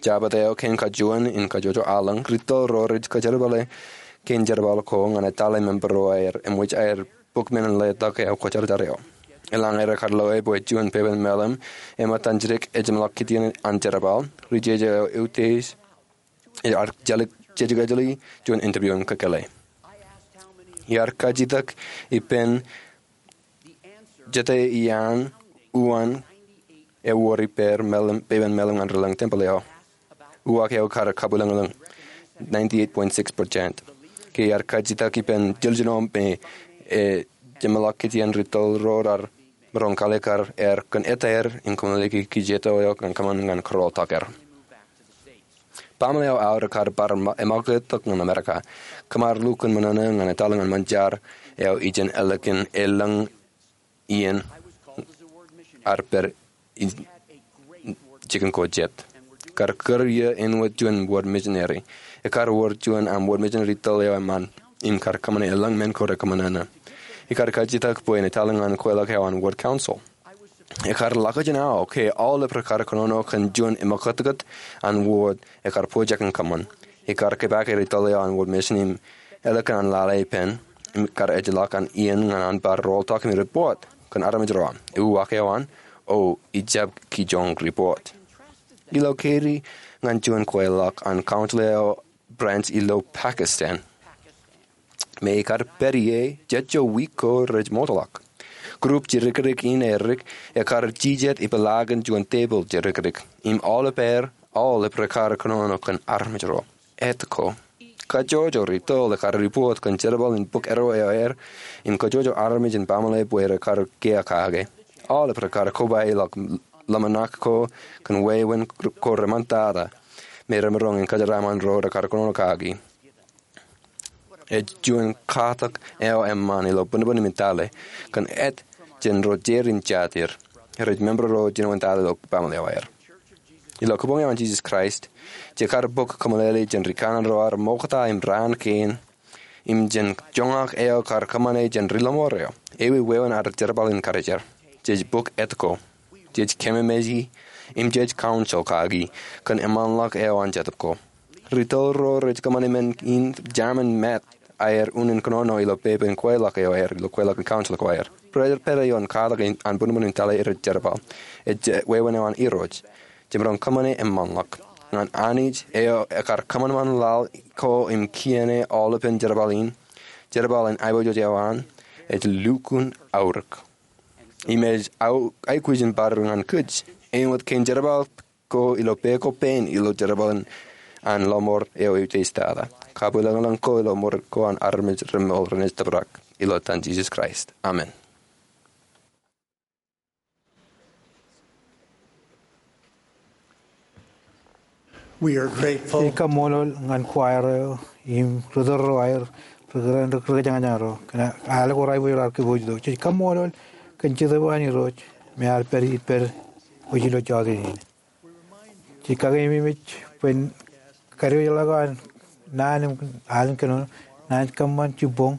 Jabōt eo kein kajuon in kajjojo aelōñ, ri tōl ro rej kōjerbale kein jerbal ko ñan etale member ro aer eṃōj aer bōk men in letok eo kwōjarjar eo. Eḷaññe rekar loe bwe juon pepen meḷeṃ eṃōj an jidik ejeṃḷọk kitien an jerbal, ri jeje eo eutiej, ear jejeḷā juon interview in kōkōḷḷe. Iar kajjitōk ippān jete iaan uwaan ewōr ippāer meḷeṃ, pepen meḷeṃ ñan relōñ temple eo. Uwaak eo ekar kabwilōñlōñ, ninety-eight point six percent. Ke iar kajjitōk ippān jiljino me ejeṃḷọk kitien, ri tōl ro raar maroñ kalikkar er kōn etaer in kōmeḷeḷeiki kijeto eo ñan kōṃṃan ñan kōrọọltok er. Baaṃle eo aō rekar bar eṃakūt tok ñan Amerika. Kōmar lukkuun ṃōṇōṇō ñan etale ñan ṃōn jar eo ijin ālikin elōñ iien ar pād jikin ko jet. Kar kūr iiō āinwōt juon wōt missionary. Ekar wōr juon aṃ wōt mission ri tōl eo eṃṃan im kar kōṃṃane elōñ men ko rekōṃṃan. Ekar kajjitōk bwe en etale ñan kweilọk eo an wōt council. Ekar ḷak ijin aō ke aolep rekar kōnono kōn juon eṃakūtkūt an wōt ekar pojak in kōṃṃan. Ekar kōpaake ri tōl eo an wōt mission im ālikin an lale ippān im kar ejjeḷọk an iien ñan an bar rooltok im report kōn armej ro aṃ. Uwaak eo an, o ijab kijoñ report. Ilo keri ñan juon kweilọk an council eo branch ilo Pakistan me ekar pād ie jet ijo wiik ko rej ṃootḷọk. Group jidikdik in erik ekar jijet ipeḷaakin juon tepil jidikdik im aolep er, aolep rekar kōnono kōn armej ro. Etko, kajjojo ri tōl ekar report kōn jerbal in bōk eddo eo aer im kajjojo armej in baaṃle bwe rekar kiiō kake. Aolep rekar kobaḷọk ḷōmṇak ko kōn wāween ko reṃṃantata me remaroñ in kōjeraaṃṃan ro rekar kōnono kaki. Ej juon katak eo eṃṃan ilo bōnbōn im tale kōn et jān ro jeid im jatid rej member ro jinoin tata ilo baaṃle eo aer. Ilo Kabuñ eo an Jesus Christ, jekar bōk kōmeḷeḷe jān ri kanaan ro ad ṃokta im raan kein im jān joñak eo kar kōṃṃane jān ri lọmọọr eo. Ewi wāween ad jerbal in karijer? Jej bōk etko. Jej kememej im jej council kaki kōn eṃṃanḷọk eo an Jetōb Ko. Ri tōl ro rej kōṃṃane men in jaṃin met aer unin kōnono ilo pepen kweilọk eo aer ilo kweilọk in council ko aer. Rej pād ioon katak an bōnbōn in tale rej jerbal. Ej wāween eo an Irooj. Jemaroñ kōṃṃane eṃṃanḷọk ñan Anij eo ekar kōṃanṃan laḷ ko im kiiō aolepen jerbal in. Jerbal in aiboojoj eo an ej lukkuun aorōk im ej aikuj in bar ñan kōj āinwōt kein jerbal ko ilo pā ko pān ilo jerbal in an lọmọọr eo eutiej tata. Kabwilōñlōñ ko ilo ṃōrōk ko an armej remool renaaj tōprak ilo etan Jesus Christ. Amen. We are grateful. Ij kaṃṃoolol ñan choir eo im ri tōl ro aer, ri kōjañjañ ro, kōn aer ko raar ippān raar kōpooj itok. Ij kaṃṃoolol kōn Jetōb an Irooj me ear pād ippād wōj ilo jota in. Ij kakeememej bwe en kadiwōjḷọk an naan im al in kōnono, naaj kōṃṃan jibboñ,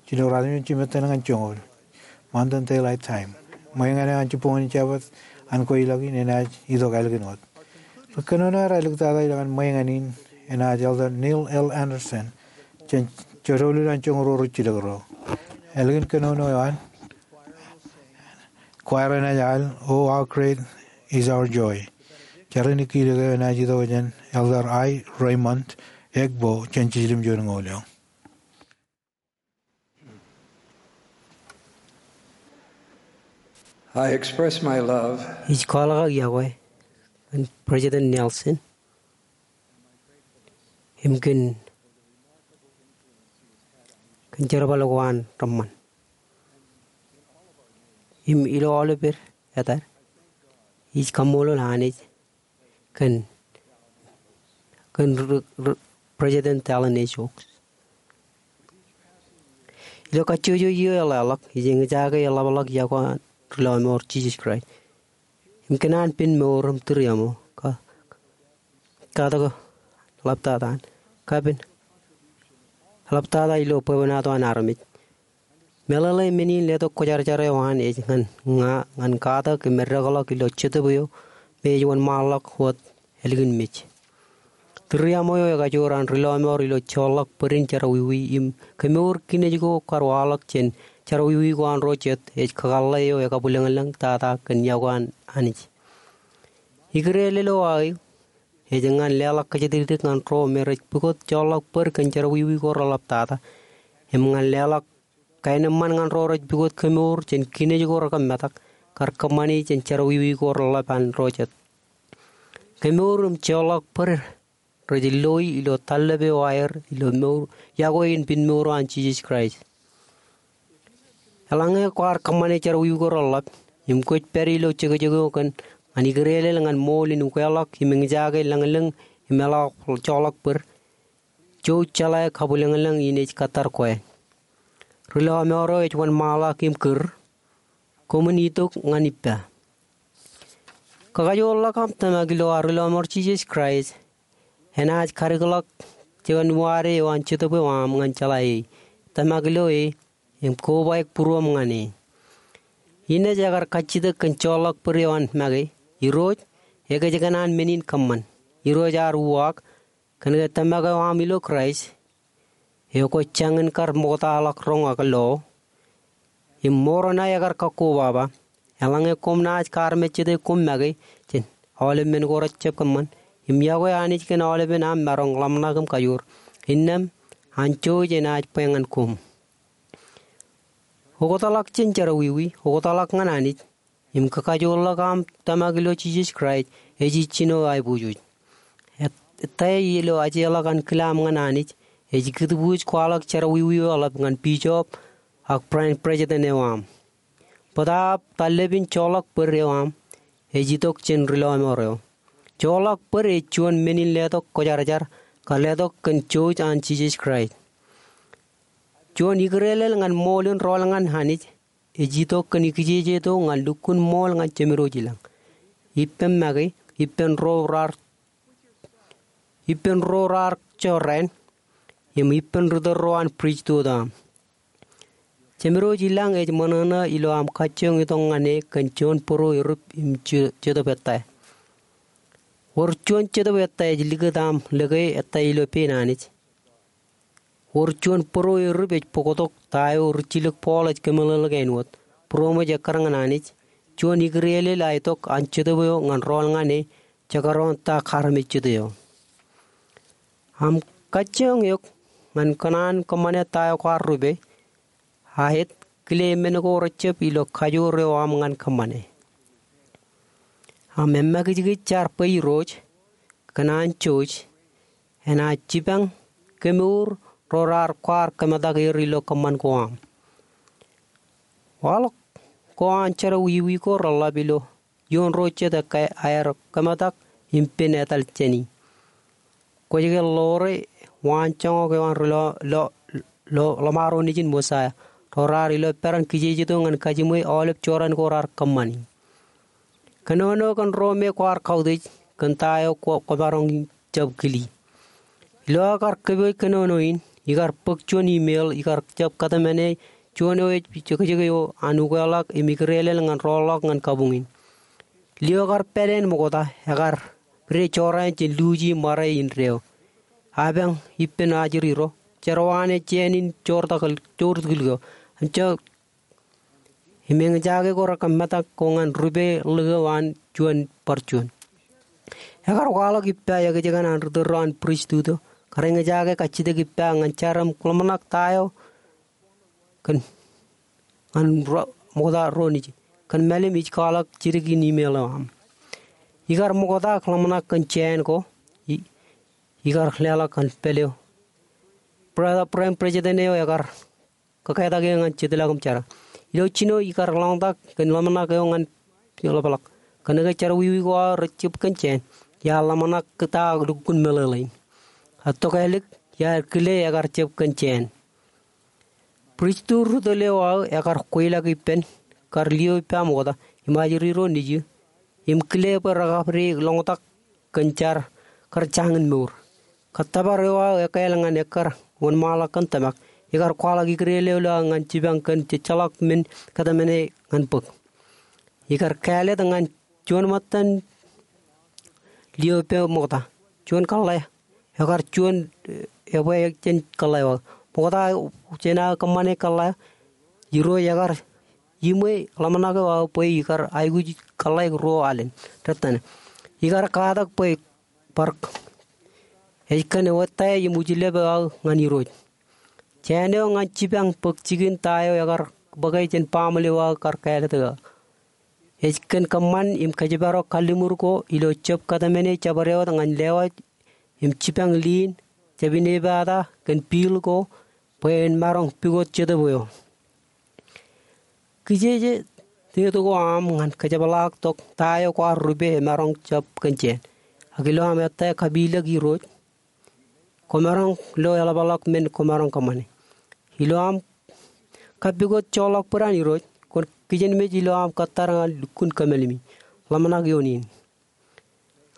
jino ruatimjuon jimettan ñan joñoul Mountain Daylight Time. Ṃweiñan eo an jibboñ in Jabōt an kweilọk in enaaj itok ālikin wōt. Ri kōnono raar āliktata ilowaan ṃweiñan in enaaj Elder Neil L. Andersen jān jodoulul an joñoul ruo ruj jilkinḷọk. Ālikin kōnono eo an, choir enaaj al, "Oh, how great is our joy." Jar in kiilōk eo enaaj itok jān Elder I. Raymond Egbo jān jiljilimjuon ñoul eo. I express my love. Ij kwaḷọk aō iọkwe kōn President Nelson im kōn, kōn jerbal ko an reṃṃan. Im ilo aolepād etad, ij kaṃṃoolol Anij kōn, kōn r-, r-, President Dallin H. Oaks. Ilo kajjojo eo eḷḷāḷọk, ij eñjake eḷapḷọk iọkwe an ri lọmọọr Jisōs Kraist im kōn an pen mour im tūriaṃo, ka-, katak eḷaptata an, kapen eḷaptata ilo bwebwenato an armej. Meḷeḷe men in letok kwōjarjar eo an ej ñan ña ñan katak im eddekḷọk ilo jetōb eo me ej wōnṃaanḷọk wōt ālikin mej. Tūriaṃo eo ekajoor an ri lọmọọr ilo joorḷọk bōd in jerọwiwi im kemour kinej ko kar waḷọk jān jerọwiwi ko an ro jet ej kakōḷḷe eo ekabwilōñlōñ tata kōn iọkwe an Anij. Ikdeelel eo aō ej ñan leḷọk kōjatdikdik ñan ro me rej pukot joorḷọk bōd kōn jerọwiwi ko reḷap tata im ñan leḷọk kaenōṃṃan ñan ro rej pukot kemour jān kinej ko rekōmetak kar kōṃṃani jān jerọwiwi ko reḷap an ro jet. Kemour im joorḷọk bōd rej loi ilo tallep eo aer ilo mour, iọkwe in pen mour eo an Jisōs Kraist. Eḷaññe kwaar kōṃṃane jerọwiwi ko reḷap im kwōj pād ilo jekjek eo kōn ñan ikdeelel ñan ṃool in ukeḷọk im eñjake lōñlōñ im eḷọk joorḷọk bōd, jouj jeḷā kabwilōñlōñ in ej kōttar kwe. Ri lọmọọr eo ej wōnṃaanḷọk im kūr, koṃwin itok ñan ippa. Kakajoorḷọk aṃ tōmak ilo ad ri lọmọọr Jisōs Kraist enaaj kadikḷọk juon wōt eo an Jetōb eo aṃ ñan jeḷā e. Tōmak ilo e im kobaik būruōṃ ñan e. Innej ekar kajjitōk kōn joorḷọk bōd eo an make, Irooj, ekōjkan an men in kōṃṃan. Irooj ear uwaak, kōnke tōmak eo aṃ ilo Kraist, eo kwōj jañin kar ṃoktaḷọk roñ ak lo, im mour ṇae ekar kakkobaba. Eḷaññe koṃ naaj kaarmejjete koṃ make jān aolep men ko rejjab kōṃṃan, im iọkwe Anij kōn aolepen aṃ maroñ ḷōmṇak im kajoor, innām an jouj enaaj bwe ñan koṃ. Oktaḷọk jān jerọwiwi, oktaḷọk ñan Anij, im kakajoorḷọk aṃ tōmak ilo Jisōs Kraist ej ijjino aiboojoj. Et-, ettā ilo ajeḷọk an kile aṃ ñan Anij ej kūtbuuj kwaḷọk jerọwiwi eo eḷap ñan bishop ak branch president eo aṃ. Bōtaab tallep in joorḷọk bōd eo aṃ ej itok jān ri lọmọọr eo. Joorḷọk bōd ej juon men in letok kwōjarjar kar letok kōn jouj an Jisōs Kraist. Juon ikdeelel ñan ṃool in rọọl ñan Anij ej itok kōn kijejeto ñan lukkuun ṃool ñan jemedwōj ilañ, ippem make, ippān ro raar, ippān ro raar jorrāān, im ippān ritōl ro an pristut eo aṃ. Jemedwōj ilañ ej ṃōṇōṇō ilo aṃ kajjioñ itok ñan e kōn juon bōro erūp im je-, jetōb ettā. Wōr juon jetōb ettā ej likūt aṃ lōke ettā ilo pein Anij. Wōr juon bōro erūp ej bōktok ta eo rijjilōk Paul ej kōmeḷeḷeik āinwōt, būroṃōj ekkar ñan Anij, juon ikdeelel aetok an Jetōb eo ñan rọọl ñan e, jekdọọn ta kaarmejjet eo. Aṃ kajjioñ eok ñan kōṇaan kōṃṃane ta eo kwaar rupe, aet kile men ko rejjab ilo kajoor eo aṃ ñan kōṃṃane. Aṃ emakijkij jaar bwe Irooj, kōn an jouj, enaaj jipañ kemour ro raar kwaar kōmetak er ilo kōṃṃan ko aṃ. Waḷọk ko an jerọwiwi ko reḷap ilo ioon ro jet ekkā aer kōmetak im pen etal jāni. Kwōj ke ḷoore waan joñak eo an ri lo, lo, lo, ḷōṃaro nejin Mosaia, ro raar ilo peran kijejeto ñan kajiṃwe aolep jorrāān ko raar kōṃṃani. Kōnono kōn ro me kwaar kautiej kōn ta eo kwō, kwōmaroñ jab kili. Ilo aō kar kōpooj kōnono in, ikar bōk juon email ikar jab kōtmāne juon eo ej jekjek eo an ukeḷọk im ikdeelel ñan rọọlḷọk ñan kabuñ in. Lio kar pāleen ṃokta, ekar pide jorrāān jān luuji ṃare indeeo. Apañ ippān ajri ro, jerọwaane jāān in joortakl, joortiklik eo. Im jab im eñjake ko rekōmetak ko ñan rupeḷọk eo an juon bar juon. Ekar kwaḷọk ippa ekōjkan an ritōl ro an pristut eo, kar eñjake kajjitōk ippa ñan jar im ḷōmṇak ta eo kōn, ñan ro, ṃokta ro nejin. Kōn mālim ij kwaḷọk jidik in email eo aṃ. Ikar ṃokta ḷōmṇak kōn jāān ko, i-, ikar leḷọk ñan pāl eo. Brother, branch president eo ekar kōketak eō ñan jetōb ḷọk im jera. Ilo jino ikar ḷōmṇak kōn ḷōmṇak eo ñan ḷapḷọk. Kōnke jerọwiwi ko aō rej jab kōn jāān, iar ḷōmṇak ta lukkuun meḷeḷein. Etto kālik, iar kile ekar jab kōn jāān. Pristut ri tōl eo aō ekar kweilọk ippān kar lio ippa ṃokta im ajri ro nejū im kile bwe rekabdewōt ḷoñtak kōn jar kar jañin mour. Kōttōpar eo aō ekkāāl ñan ekkar wōnṃaanḷọk kōn tōmak, ikar kwaḷọk ikdel eo ilo aō ñan jipañ kōn jejjeḷọk men kōtmāne ñan bōk. Ikar kāālōt ñan juon ṃōttan lio ippān ṃokta, juon kōḷḷā, ekar juon, eh, ebwe jān kōḷḷā eo aō. Ṃokta jān aō kōṃṃane kōḷḷā, Irooj ekar iṃwe ḷōmṇak eo aō bwe ikar aikuj kōḷḷā ruo alen, rōttan. Ikar katak bwe bar, ej kōn wōt ta im ujilep eo aō ñan Irooj. Jāān eo ñan jipañ bōk jikin ta eo ekar bōke jān baaṃle eo aō kar kāālōt eo aō. Ej kōn kōṃṃan im kōjparok kalliṃur ko ilo jab kōtmāne jabdewōt ñan lewōj im jipañ liin, jab inepata kōn piil ko bwe en maroñ pukot Jetōb eo. Kijeje deed ko aṃ ñan kōjepḷaaktok ta eo kwaar rupe emaroñ jab kōn jāān. Ak ilo aṃ ettā kapilōk Irooj, kwōmaroñ lo eḷapḷọk men kwōmaroñ kōṃṃane. Ilo aṃ kappukot joḷọk bwidān Irooj, kwōn kijenmej ilo aṃ kōttar ñan lukkuun kōmālimi. Ḷōmṇak ioon in.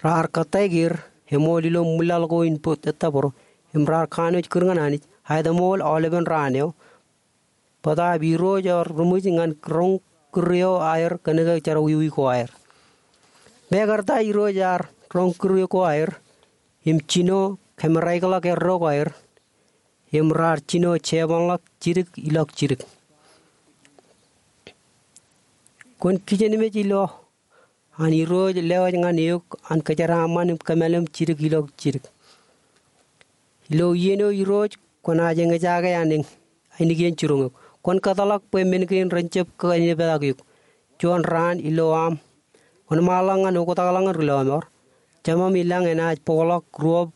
Raar kōttāik er, eṃool ilo ṃwilaḷ ko in bōd ettā bōro, im raar kanooj kūr ñan Anij, aetōṃool aolepen raan eo, bōtaab Irooj ear ruṃwij ñan roñ kūr eo aer kōnke jerọwiwi ko aer. Mekarta Irooj ear roñ kūr ko aer, im jino kōmeraikḷọk erro ko aer, im raar jino jebanḷọk jidik ilọk jidik. Kwōn kijenmej ilo an Irooj lewōj ñan eok an kōjeraaṃṃan im kōmālim jidik ilọk jidik. Ilo iien eo Irooj kwōnaaj eñjake an eñ, ainikien jiroñ eok. Kwōn kōtḷọk bwe men kein ren jab kōneptak eok. Juon raan ilo aṃ wōnṃaanḷọk ñan oktakḷọk ñan ri lọmọọr, Jemām ilañ enaaj bōkḷọk ruọp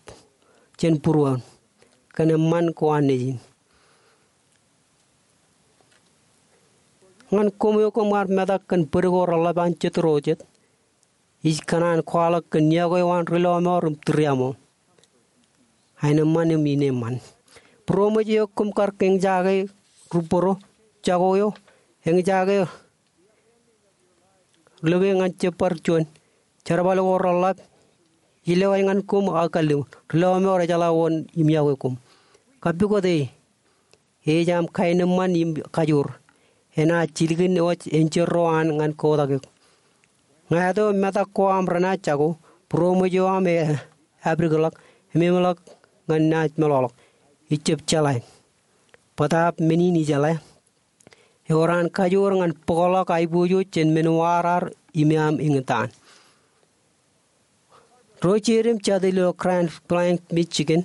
jān būruon kōn eṃṃan ko an Nejin. Ñan koṃ eo koṃ ar metak kōn bōd ko reḷap an jet ro jet, ij kōṇaan kwaḷọk kōn yokwe eo an ri lọmọọr im tūriaṃo, aenōṃṃan im ineeṃṃan. Būroṃōj eo koṃ kar eñjake rubboro jako eo, eñjake ri lope ñan jab bar juon. Jerbal ko reḷap ej lewōj ñan koṃ aō kalliṃur. Ri lọmọọr ejjeḷọk wōn im yokwe koṃ. Kappukot e, ej aṃ kaenōṃṃan im kajoor. Enaaj jilkinwōj enjeḷ ro an ñan kotak eok. Ñāāt eo metak ko aṃ renaaj jako, būroṃōj eo aṃ e apdikḷọk, ememḷọk ñan naaj meḷọkḷọk. Ij jab jeḷā. Bōtaab men in ijeḷā. Ewōr an kajoor ñan bōkḷọk aiboojoj jān men wōr aer im aṃ eñtaan. Ro jeid im jatid ilo Grand Blanc, Michigan,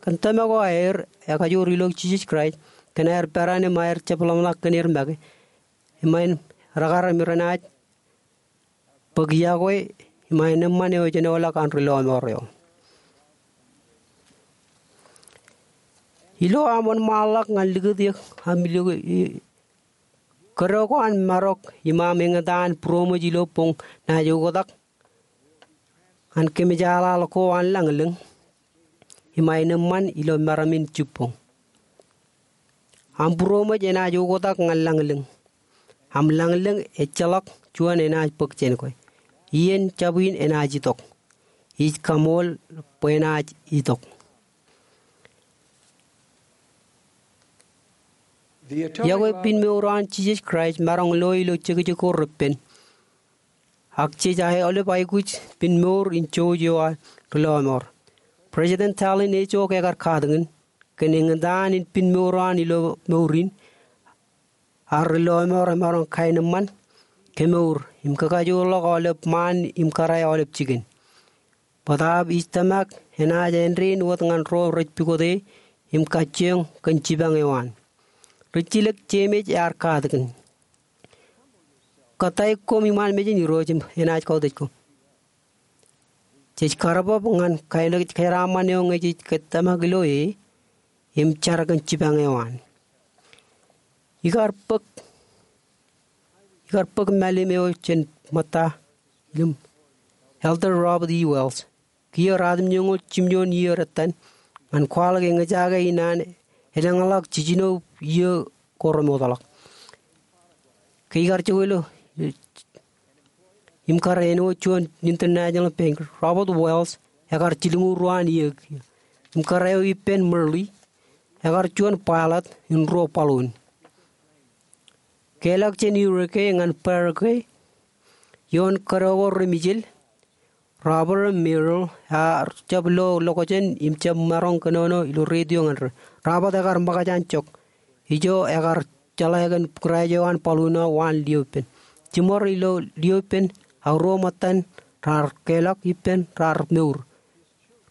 kōn tōmak eo aer ekajoor ilo Jisōs Kraist kōn aer peran im aer jab ḷōmṇak kōn er make, im aer rekar im renaaj bōk yokwe im aenōṃṃan eo ejenoḷọk an ri lọmọọr eo. Ilo aṃ wōnṃaanḷọk ñan likūt eok aṃ ilo, i, kōdọ ko an marok im aṃ eñtaan būroṃōj ilo boñ naaj oktak ñan kōmjaaḷaḷ ko an lañlōñ im aenōṃṃan ilo meram in jibboñ. Aṃ būroṃōj enaaj oktak ñan lañlōñ. Aṃ lañlōñ ejjeḷọk juon enaaj bōk jān kwe. Iien jab in enaaj itok. Ij kaṃool bwe enaaj itok. Yokwe pinmour eo an Jisōs Kraist maroñ lo ilo jekjek ko reppen. Ak jej aolep aikuj pinmour in jouj eo an ri lọmọọr. President Dallin H. Oaks ekar katakin kōn eñtaan in pinmour eo an ilo mour in, ak ri lọmọọr emaroñ kaenōṃṃan, kemour, im kakajoorḷọk aolep ṃaan im kōrā aolep jikin. Bōtaab ij tōmak enaaj āindein wōt ñan ro rej pukot e im kajjioñ kōn jipañ eo an. Rijjilōk Jemes ear katakin. Kōttāik koṃ iṃaan mejān Irooj im enaaj kautiej koṃ. Jej karbab ñan kōjeraaṃṃan eo ñe jej tōmak ilo e im jar kōn jipañ eo an. Ikar bōk pād bōk mālim eo jān ṃōtta im Elder Robert E. Wells. Kiiō ratimjuonñoul jimjuon iiō dettan ñan kwaḷọk eñjake in an elōñḷọk jiljino iiō ko remootḷọk. Ke ikar jokwe ilo im kar āinwōt juon International Bank, Robert Wells ekar jilñuul ruo an iiō kiiō. Im kar eo ippān Murley ekar juon pilot in ruo balloon. Keḷọk jān Uruguay ñan Paraguay, ioon kōdọ ko remijel, Robert im Muriel ear jab lo lokjān im jab maroñ kōnono ilo radio ñan ri. Robert ekar ṃōkaj an jok. Ijo ekar jeḷā kōn kraej eo an balloon eo waan liōpān. Jiṃor ilo liōpān, ak ruo ṃōttan raar keḷọk ippān raar mour.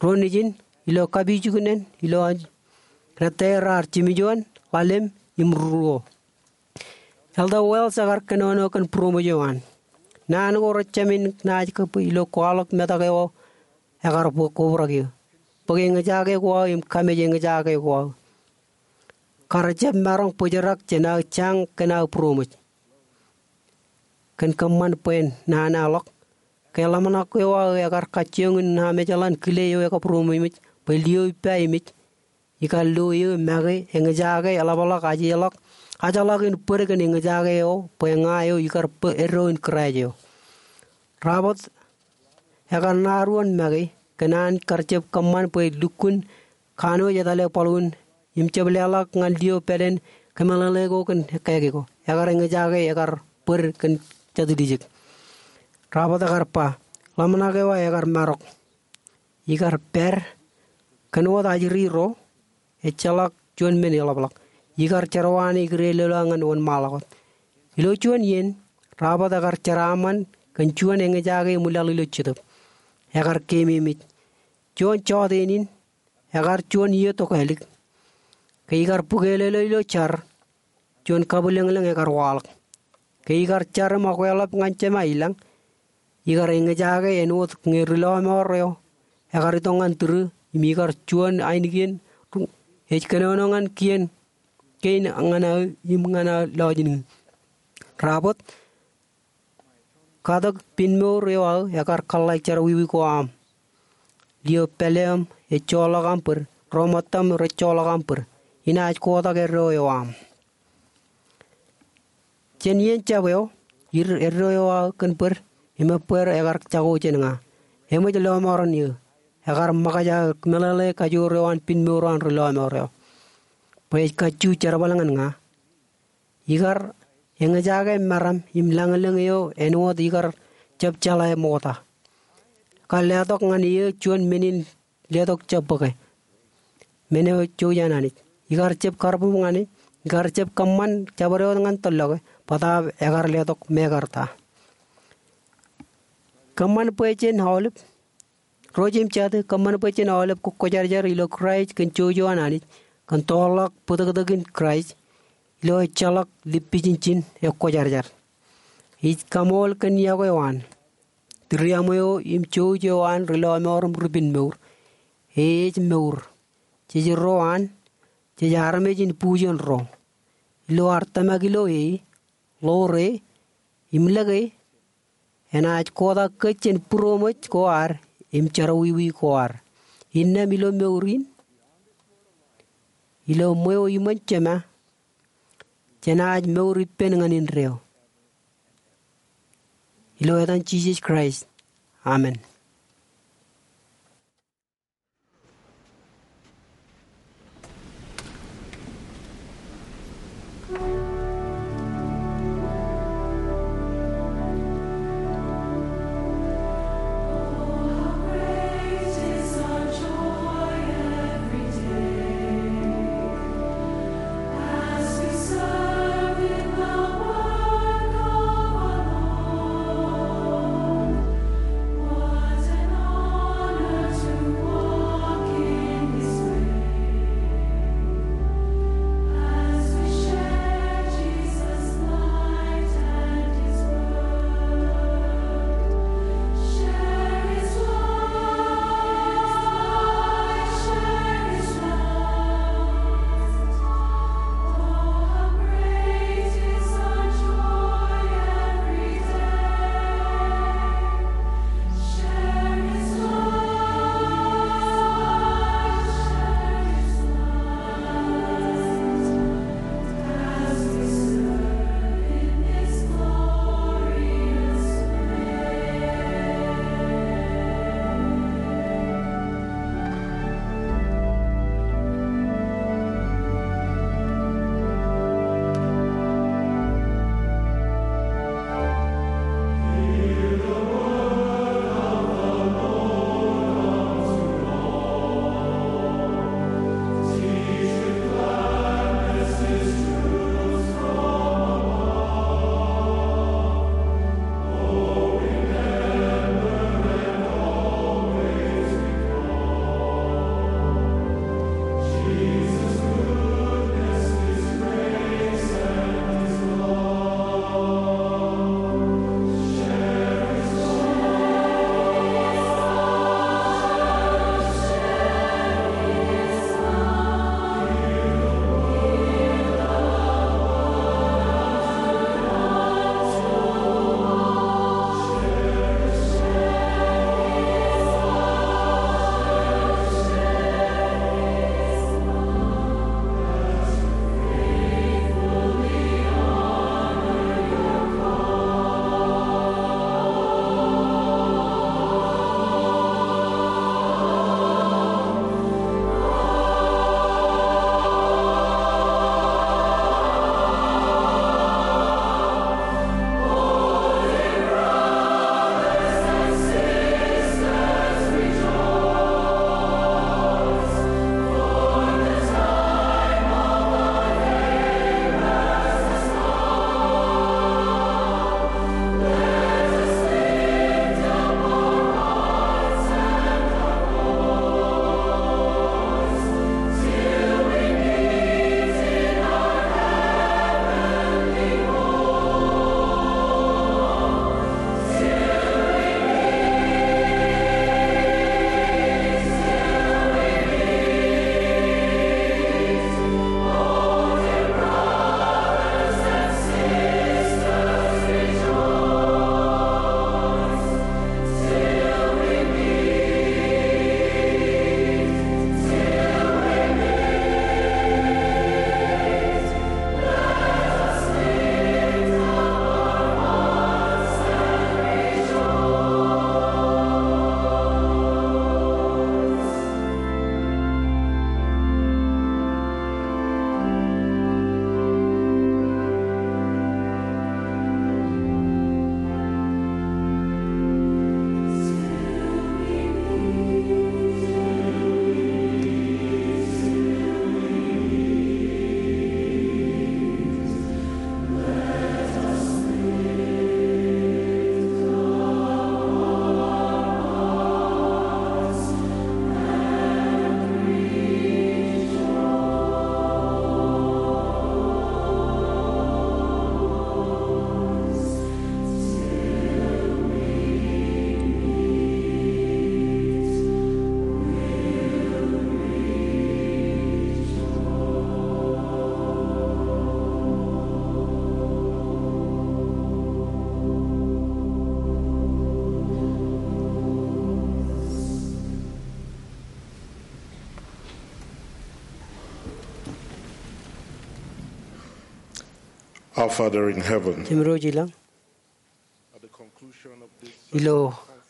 Ro nejin ilo kapijuknen ilo an rōttāer raar jimjuon, ḷalem im ruo. Elder Wells ekar kōnono kōn būroṃōj eo an. Naan ko rej jāmin naaj kab ilo kwaḷọk metak eo aō ekar bōk kobrak eō. Bōk eñjake ko aō im kamej eñjake ko aō. Kar jab maroñ bōjrak jān aō jañ kōn aō būroṃōj. Kōn kōṃṃan bwe en nana ḷọk. Ke ḷōmṇak eo aō ekar kajjioñ in namejeḷan kile eo ekabūroṃōj bwe liō ippa emej. Ikar lo eō make eñjake eḷapḷọk ajḷọk, ajḷọk in bōd kōn eñjake eo bwe ña eo ikar bō eddo in kraej eo. Robert ekar ṇa ruon make kōn an kar jab kōṃṃan bwe lukkuun kanooj etale balloon im jab leḷọk ñan liō pāleen kōmeḷeḷe ko kōn ekkāke ko. Ekar eñjake ekar bōd kōn jatdijek. Robert ekar ba, ḷōmṇak eo aō ekar marok. Ikar pād kōn wōt ajri ro, ejjeḷọk juon men eḷapḷọk. Ikar jerọwiwi ikure lōḷā ñan wōnṃaanḷọk wōt. Ilo juon iien, Robert ekar jeraaṃṃan kōn juon eñjake eṃwilaḷ ilo jetōb. Ekar keememej. Juon jọteen in, ekar juon iiō tokālik. Ke ikar bukelōlō ilo jar, juon kabwilōñlōñ ekar waḷọk. Ke ikar jar im okweḷap ñan Jema ilañ, ikar eñjake āinwōt ñe ri lọmọọr eo ekar itok ñan tūrū im ikar juon ainikien ej kōnono ñan kien kein ñan aō im ñan aō lọjilñiin. Robert, katak pinmour eo aō ekar kōḷḷā jerọwiwi ko aṃ. Liō pāleeṃ ejjoḷọk aṃ bōd, ro ṃōttam rej joḷọk aṃ bōd. Inaaj kotak eddo eo aṃ. Jān iien jab eo, ir eddo eo aō kōn bōd im ebbweer ekar jako jān ña. Eṃōj lọmọọren eō. Ekar ṃōkaj aō kōmeḷeḷe kajoor eo an pinmour eo an ri lọmọọr eo bwe ej kajju jerbal ñan ña. Ikar eñjake meram im lañlōñ eo āinwōt ikar jab jeḷā ṃokta. Kar letok ñan eō juon men in letok jab bōke. Men eo jouj an Anij. Ikar jab karbub ñan e, ikar jab kōṃṃan jabdewōt ñan tōllọke, bōtaab ekar letok mekarta. Kōṃṃan bwe jen aolep Ro jeiū im jatū, kōṃṃan bwe jen aolep kōkwōjarjar ilo Kraist kōn jouj eo an Anij, kōn toorḷọk bōtōktōkin Kraist, ilo ejjeḷọk lippijinjin ekwōjarjar. Ij kaṃool kōn yokwe eo an, tūriaṃo eo im jouj eo an ri lọmọọr im ri pinmour. E ej mour. Jej ro an, jej armej in bujen ro. Ilo ad tōmak ilo e, ḷoor e, im lōke e, enaaj kotak kōj jān būroṃōj ko ad im jerọwiwi ko ad. Innām ilo mour in, ilo ṃweo iṃōn Jema, jenaaj mour ippān ñan indeeo. Ilo etan Jisōs Kraist. Amen. Our Father in heaven, Jemem ilo ilañ, at the conclusion of this ilo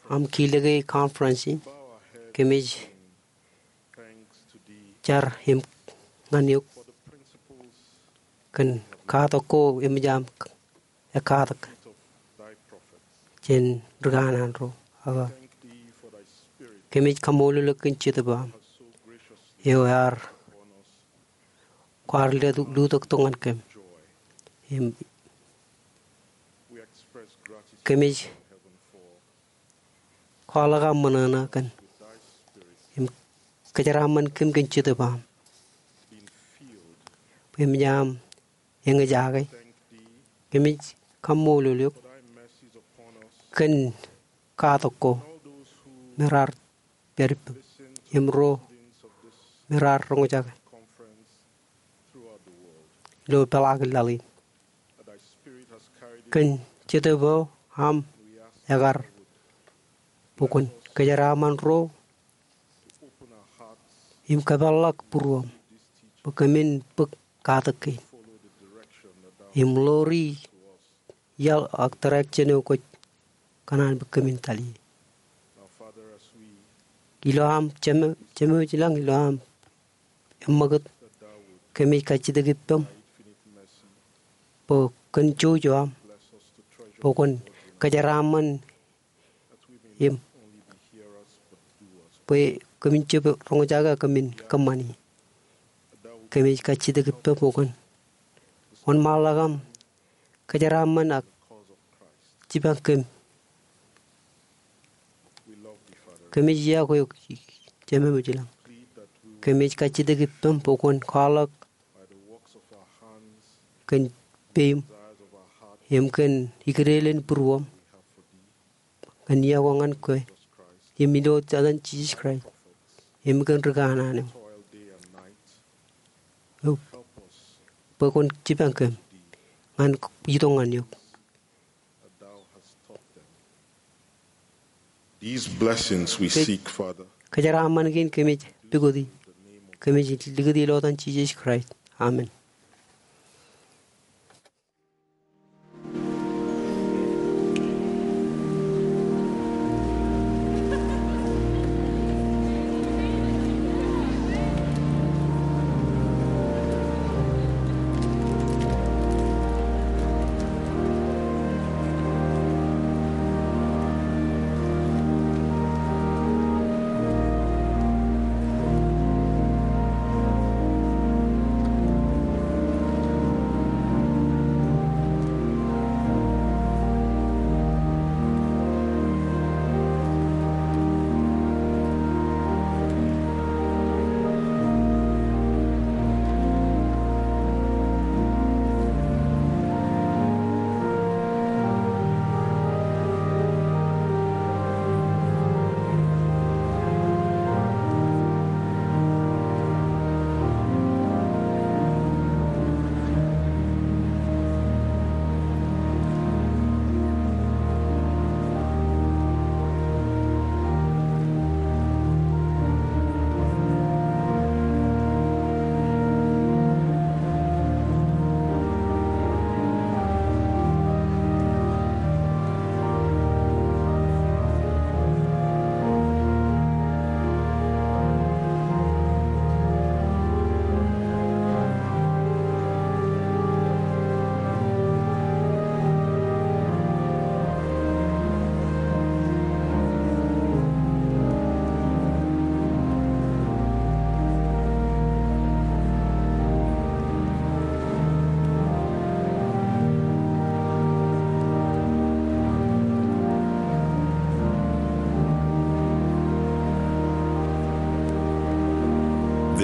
aṃ kilōk e conference in, bow our heads kōmij in thanks to thee jar im ñan eok for the principles kōn katak ko eṃōj aṃ ekkatak of thy prophets. Jān ri kanaan ro. Ak thank thee for thy Spirit kōmij kaṃṃoolol eok kōn Jetōb eo aṃ, has so graciously eo ear upon us kwaar lutōk, lutōktok ñan kōm. Joy. Im we express gratitude kōmij to heaven for kwaḷọk aṃ ṃōṇōṇō kōn with thy Spirit im kōjeraaṃṃan kōm kōn Jetōb eo aṃ, being filled bwe eṃōj aṃ eñjake. Thank thee Kōmij kaṃṃoolol eok for thy mercies upon us kōn katak ko all those who me raar pād ippaṃ, listen to im ro the readings of this me raar roñjake conference throughout the world. Ilo peḷaakin laḷ in. That thy Spirit has carried it. Kōn Jetōb eo aṃ we ask ekar bwe kwōn kōjeraaṃṃan ro im kōpeḷḷọk būruōṃ bwe kōmin bōk katak kein im ḷoori iaḷ ak direction eo kwōj kōṇaan bwe kōmin tōl ie. Ilo aṃ Jemem, Jemem ilañ, ilo aṃ eṃṃakūt, kōmij kajjitōk ippaṃ bwe kōn jouj eo aṃ bwe kwōn kōjeraaṃṃan im bwe kōmin jab roñjake, kōmin kōṃṃani. Kōmij kajjitōk ippaṃ bwe kwōn wōnṃaanḷọk aṃ kōjeraaṃṃan ak jipañ kōm. Kōmij iọkwe eok Jemem ilañ. Kōmij kajjitōk ippaṃ bwe kwōn kwaḷọk kōn peiṃ im kōn ikdeḷọñ būruōṃ kōn iọkwe ñan kwe im ilo etan Jisōs Kraist im kōn ri kanaan eo bwe kwōn jipañ kōm ñan itok ñan eok. These blessings we seek, Father. Kōjeraaṃṃan kein kōmij likūti, kōmij likūti ilo etan Jisōs Kraist. Amen.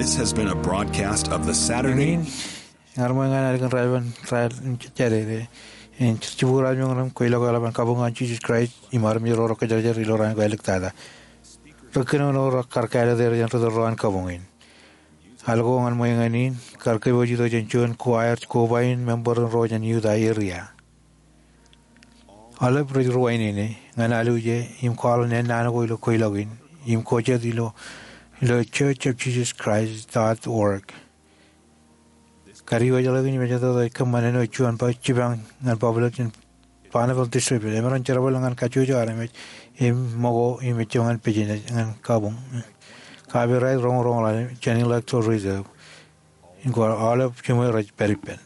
This has been a broadcast of the Saturday. Ñan ṃōj ñan ālikin raelep in, raelep in jejjade, in jibukwi raelep in ñan kwe ilo ke eḷap an kabuñ ñan Jisōs Kraist im armej ro rekōjerajer ilo raan ko āliktata. Ri kōnono rekar kāālōt er jān ri tōl ro an kabuñ in. Al ko ñan ṃōj ñan in, kar kōpooj itok jān juon ko aer koba in member in ro jān Utah area. Aolep rej ruwainene ñan aluje im kwaḷọk naan ko ilo kweilọk in im ko jet ilo, ilo church of Jesus Christ dot org. Kadiwōjḷọk in mejatoto ej kōṃṃan āinwōt juon ba jipañ ñan public in Bonneville District emaroñ jerbal ñan kajjojo armej im ṃōko im ejjab ñan business ñan kabuñ. Copyright roñroñ ḷọk jān Intellectual Reserve Inc. Aolep jiṃwe rej pād ippān.